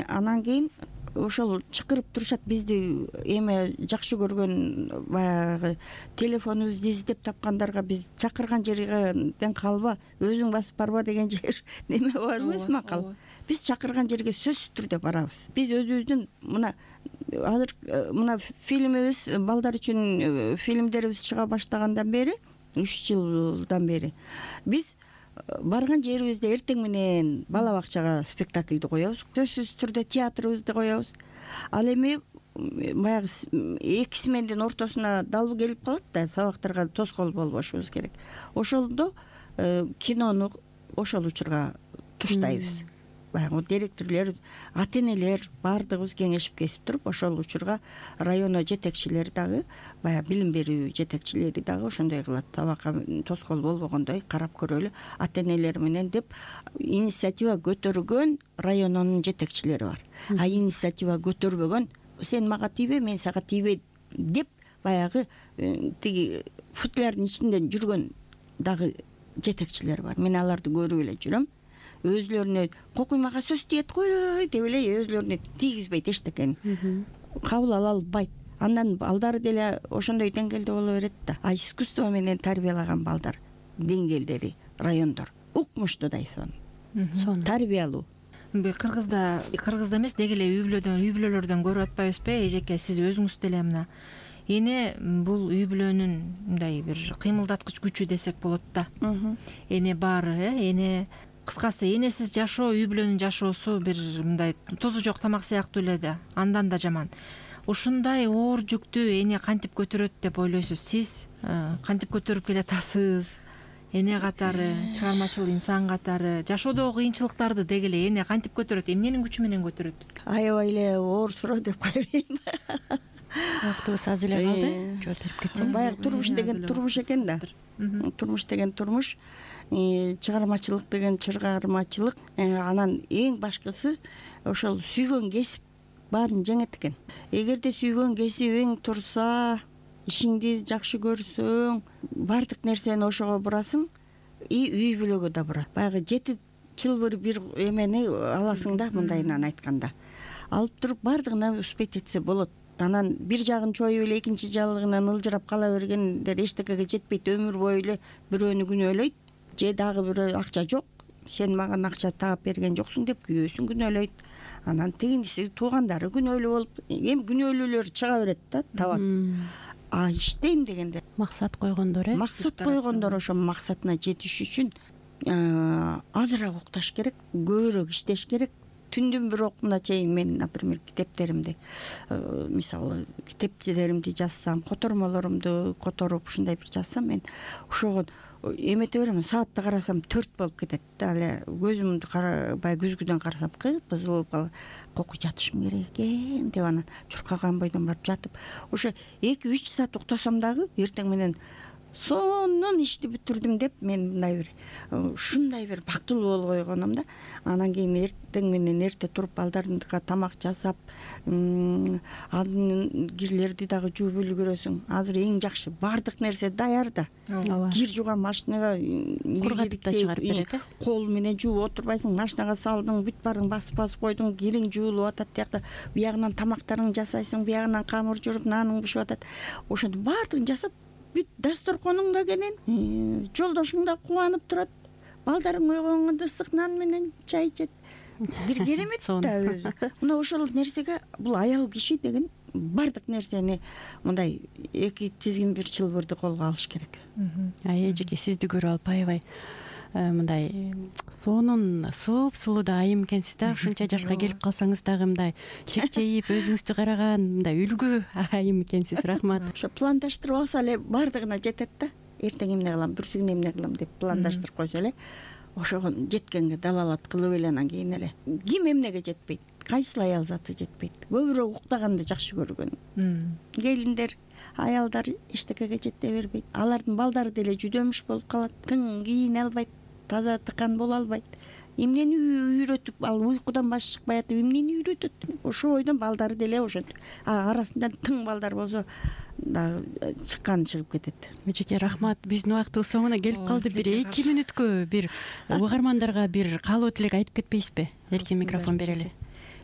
Анан кийин ошол чакырып турушат бизди, эме жакшы көргөн баягы телефонубузду издеп тапкандарга биз чакырган жерден калба, өзүң басып барба деген жер неме бар эмес макал. Биз чакырган жерге сөзсүз түрдө барабыз. Биз өзүбүздүн мына азыр мына фильмибиз, балдар үчүн фильмдерибиз чыга баштагандан бери 3 жылдан бери биз барган жерибизде эртең менен бала бакчага спектакльди коебуз, сөзсүз түрдө театрыбызды коебуз. Ал эми баягы 2 смендин ортосуна далбы келип калат да, сабактарга тоскоол болбошубуз керек. Ошондо кинону ошол учурга туштайбыз. Баягы директорлор, ата-энелер баардыгыбыз кеңешип кесип туруп, ошол учурга районо жетекчилери дагы, баягы билим берүү жетекчилери дагы ошондой кылат. Сабакка тоскоол болбогондой карап көрөлү ата-энелер менен деп инициатива көтөргөн райононун жетекчилери бар. А инициатива көтөрбөгөн сен мага тийбе, мен сага тийбе деп баягы тиги футлярдын ичинде жүргөн дагы жетекчилер бар. Мен аларды көрүп эле жүрөм. Өзлөрүнө кокуймага сөз тиет кой деп эле өзлөрүнө тийгизбейт эчтекени. Кабыл ала албайт. Андан балдары деле ошондой деңгээлде боло берет да. А искусство менен тарбиялаган балдар деңгээлдери райондор укмуштуудай сонун тарбиялуу. Кыргызда эмес, деги эле үй бүлөлөрдөн көрүп атпайбызбы эжеке, сиз өзүңүз деле мына эне бул үй бүлөнүн мындай бир кыймылдаткыч күчү десек болот да. Эне баары, эне кыскасы энесиз жашоо үй бүлөнүн жашоосу бир мындай тузу жок тамак сыяктуу эле да, андан да жаман. Ушундай оор жүктү эне кантип көтөрөт деп ойлойсуз? Сиз кантип көтөрүп келатасыз? Эне катары, чыгармачыл инсан катары жашоодогу кыйынчылыктарды деги эле эне кантип көтөрөт? Эмненин күчү менен көтөрөт? Аябай эле оор суроо деп койбойм. Вактыбыз аз эле калды. Жооп берип кетсеңиз. Баягы турмуш деген турмуш экен да. Турмуш деген турмуш, чыгармачылык деген чыгармачылык. Анан эң башкысы ошол сүйгөн кесип баарын жеңет экен. Эгерде сүйгөн кесибиң турса, ишиңди жакшы көрсөң, баардык нерсени ошого бурасың, үй бүлөгө да бурат. Баягы 7 чылбыр бир эмени аласың да, мындайынан айтканда. Алып туруп баардыгына успеть этсе болот. Анан бир жагын чоюп эле экинчи жагынан ылжырап кала бергендер эчтекеге жетпейт, өмүр бою эле бирөөнү күнөөлөйт. Же дагы бирөө акча жок, сен мага акча таап берген жоксуң деп күйөөсүн күнөөлөйт. Анан тигинси туугандары күнөөлүү болуп, эми күнөөлүүлөр чыга берет да, табат. А иштейм дегенде максат койгондор, максат койгондор ошо максатына жетиш үчүн азыраак укташ керек, көбүрөөк иштеш керек. Түндүн бир окуна чейин мен, например, китептеримди, мисалы, китепчилеримди жазсам, котормолорумду которуп ушундай бир жазсам, мен ошого эмете берем, саатты карасам 4 болуп кетет да. Эле көзүмдү карабай күзгүдөн карасам, кып-кызыл болуп кокуй жатышым керек экен деп анан чуркаган бойдон барып жатып, ошо 2-3 саат уктасам дагы эртең менен сонун ишти бүтүрдүм деп мен ушундай бир бактылуу болуп койгонум да. Анан кийин эртең менен эрте туруп балдарымдыга тамак жасап, анын кирлерди дагы жууп үлгүрөсүң. Азыр эң жакшы баардык нерсе даяр да. Кир жууган машинага кургатып да чыгарып берет. Кол менен жууп отурбайсың, машинага салдың, бүт баарын басып койдуң, кириң жуулуп атат, тиякта биягынан тамактарыңды жасайсың, биягынан камыр жууруп, нааның бышып атат. Ошондо баардыгын жасап бүт дасторконуң да кенен, жолдошуң да кубанып турат. Балдарың ойгонгондо ысык нан менен чай ичет. Бир керемет да өзү. Мына ошол нерсеге бул аял киши деген баардык нерсени мындай 2 тизгин бир чылбырды колго алыш керек. Эжеке, сизди көрүп алып аябай мындай сонун сулуу да айым экенсиз да. Ушунча жашка келип калсаңыз дагы мындай чекчейип өзүңүздү караган мындай үлгү айым экенсиз. Рахмат. Ошо пландаштырып алса эле баардыгына жетет да. Эртең эмне кылам, бүрсүгүн эмне кылам деп пландаштырып койсо эле ошого жеткенге далалат кылып эле анан кийин эле ким эмнеге жетпейт, кайсыл аял заты жетпейт. Көбүрөөк уктаганды жакшы көргөн келиндер, аялдар эчтекеге жете бербейт. Алардын балдары деле жүдөмүш болуп калат, тың кийине албайт, таза тыкан боло албайт. Эмнени үйрөтүп, ал уйкудан башы чыкпай атып эмнени үйрөтөт? Ошо бойдон балдары деле ошентип. Арасында тың балдар болсо дагы чыкканы чыгып кетет. эжеке рахмат. Биздин убактыбыз соңуна келип калды. Бир 2 мүнөткө бир угармандарга бир каалоо тилек айтып кетпейсизби? Эркин микрофон берели.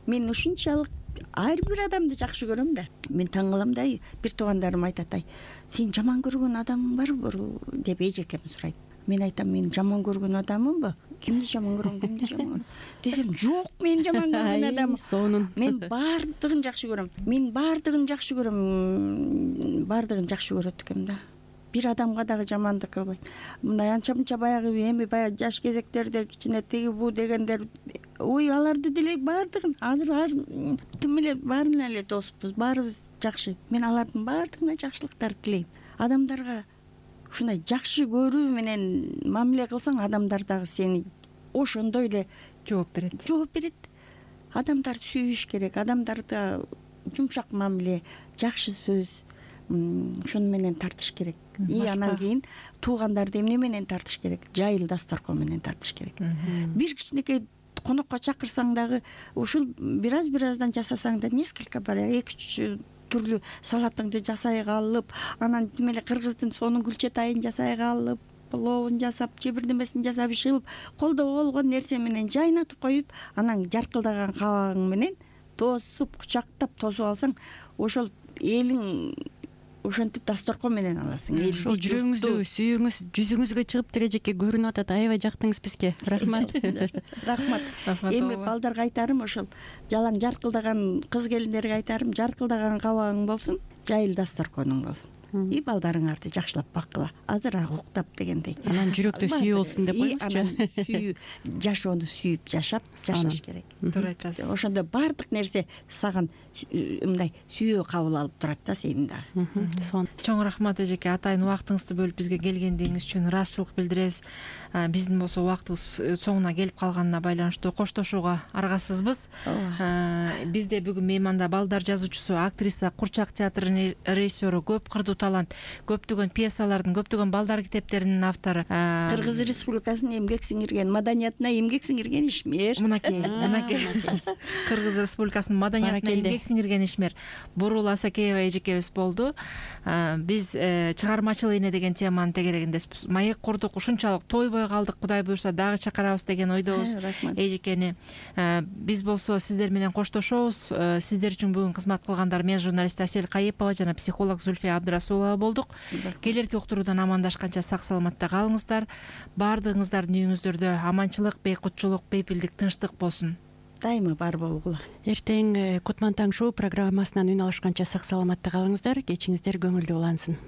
Мен ушунчалык ар бир адамды жакшы көрөм да. Мен таң калам да, бир туугандарым айтат, сен жаман көргөн адамың барбы деп эжекем сурайт. Мен айтам, мен жаман көргөн адаммынбы? Кимди жаман көрөм десем, жок, мен жаман көргөн адаммын. Сонун. Мен баардыгын жакшы көрөм. Баардыгын жакшы көрөт экем да. Бир адамга дагы жамандык кылбайм. Мындай анча мынча баягы жаш кезектерде кичине тиги бу дегендер, ой, аларды деле баардыгын азыр тим эле баарына эле доспуз, баарыбыз жакшы. Мен алардын баардыгына жакшылыктарды тилейм. Адамдарга ушундай жакшы көрүү менен мамиле кылсаң, адамдар дагы сени ошондой эле жооп берет. Адамдарды сүйүш керек, адамдарда жумшак мамиле, жакшы сөз, ошону менен тартыш керек. И анан кийин туугандарды эмне менен тартыш керек? Жайыл дасторкон менен тартыш керек. Бир кичинекей конокко чакырсаң дагы ушул бир аздан жасасаң да, несколько баягы 2-3 түрлүү салатыңды жасайга алып, анан тим эле кыргыздын сонун күлчатайын жасайга алып, пловун жасап, же бирдемесин жасап ишылып, колдо болгон нерсе менен жайнатып коюп, анан жаркылдаган кабагың менен тосуп, кучактап тосуп алсаң, ошол элиң ошентип дасторкон менен аласың. Ошол жүрөгүңүздө, сүйүүңүз жүзүңүзгө чыгып эжеке көрүнүп атат. Аябай жактыңыз бизге. Рахмат. Рахмат. Эми балдарга айтарым, ошол жалаң жаркылдаган кыз келиндерге айтарым, жаркылдаган кабагың болсун, жайыл дасторконуң болсун. И балдарыңарды жакшылап баккыла. Азыраак уктап дегендей. Анан жүрөктө сүйүү болсун деп коюңузчу. Жашоону сүйүп жашаш керек. Туура айтасыз. Ошондо баардык нерсе саган мындай сүйүү кабыл алып турат да сени дагы. Чоң рахмат эжеке, атайын убактыңызды бөлүп бизге келгендигиңиз үчүн ыраазычылык билдиребиз. Биздин болсо убактыбыз соңуна келип калганына байланыштуу коштошууга аргасызбыз. Бизде бүгүн мейманда балдар жазуучусу, актриса, Курчак театрынын режиссеру, көп кырдуу талант, көптөгөн пьесалардын, көптөгөн балдар китептеринин автору, Кыргыз Республикасынын эмгек сиңирген, маданиятына эмгек сиңирген ишмер. Мынакей Кыргыз Республикасынын маданиятына эмгек сиңирген ишмер Бурул Асакеева эжекебиз болду. Биз чыгармачыл эне деген теманын тегерегинде маек курдук, ушунчалык тойбой калдык, Кудай буюрса дагы чакырабыз деген ойдобуз эжекени. Биз болсо сиздер менен коштошобуз. Сиздер үчүн бүгүн кызмат кылгандар мен журналист Асель Кайыпова жана психолог Зульфия Абдрасулова болдук. Келерки уктуруудан амандашканча сак саламатта калыңыздар. Баардыгыңыздардын үйүңүздөрдө аманчылык, бейкутчулук, бейпилдик, тынчтык болсун. Дайыма бар болгула. Эртең Кутман таң шоу программасынан үн алышканча сак саламатта калыңыздар. Кечиңиздер көңүлдүү улансын.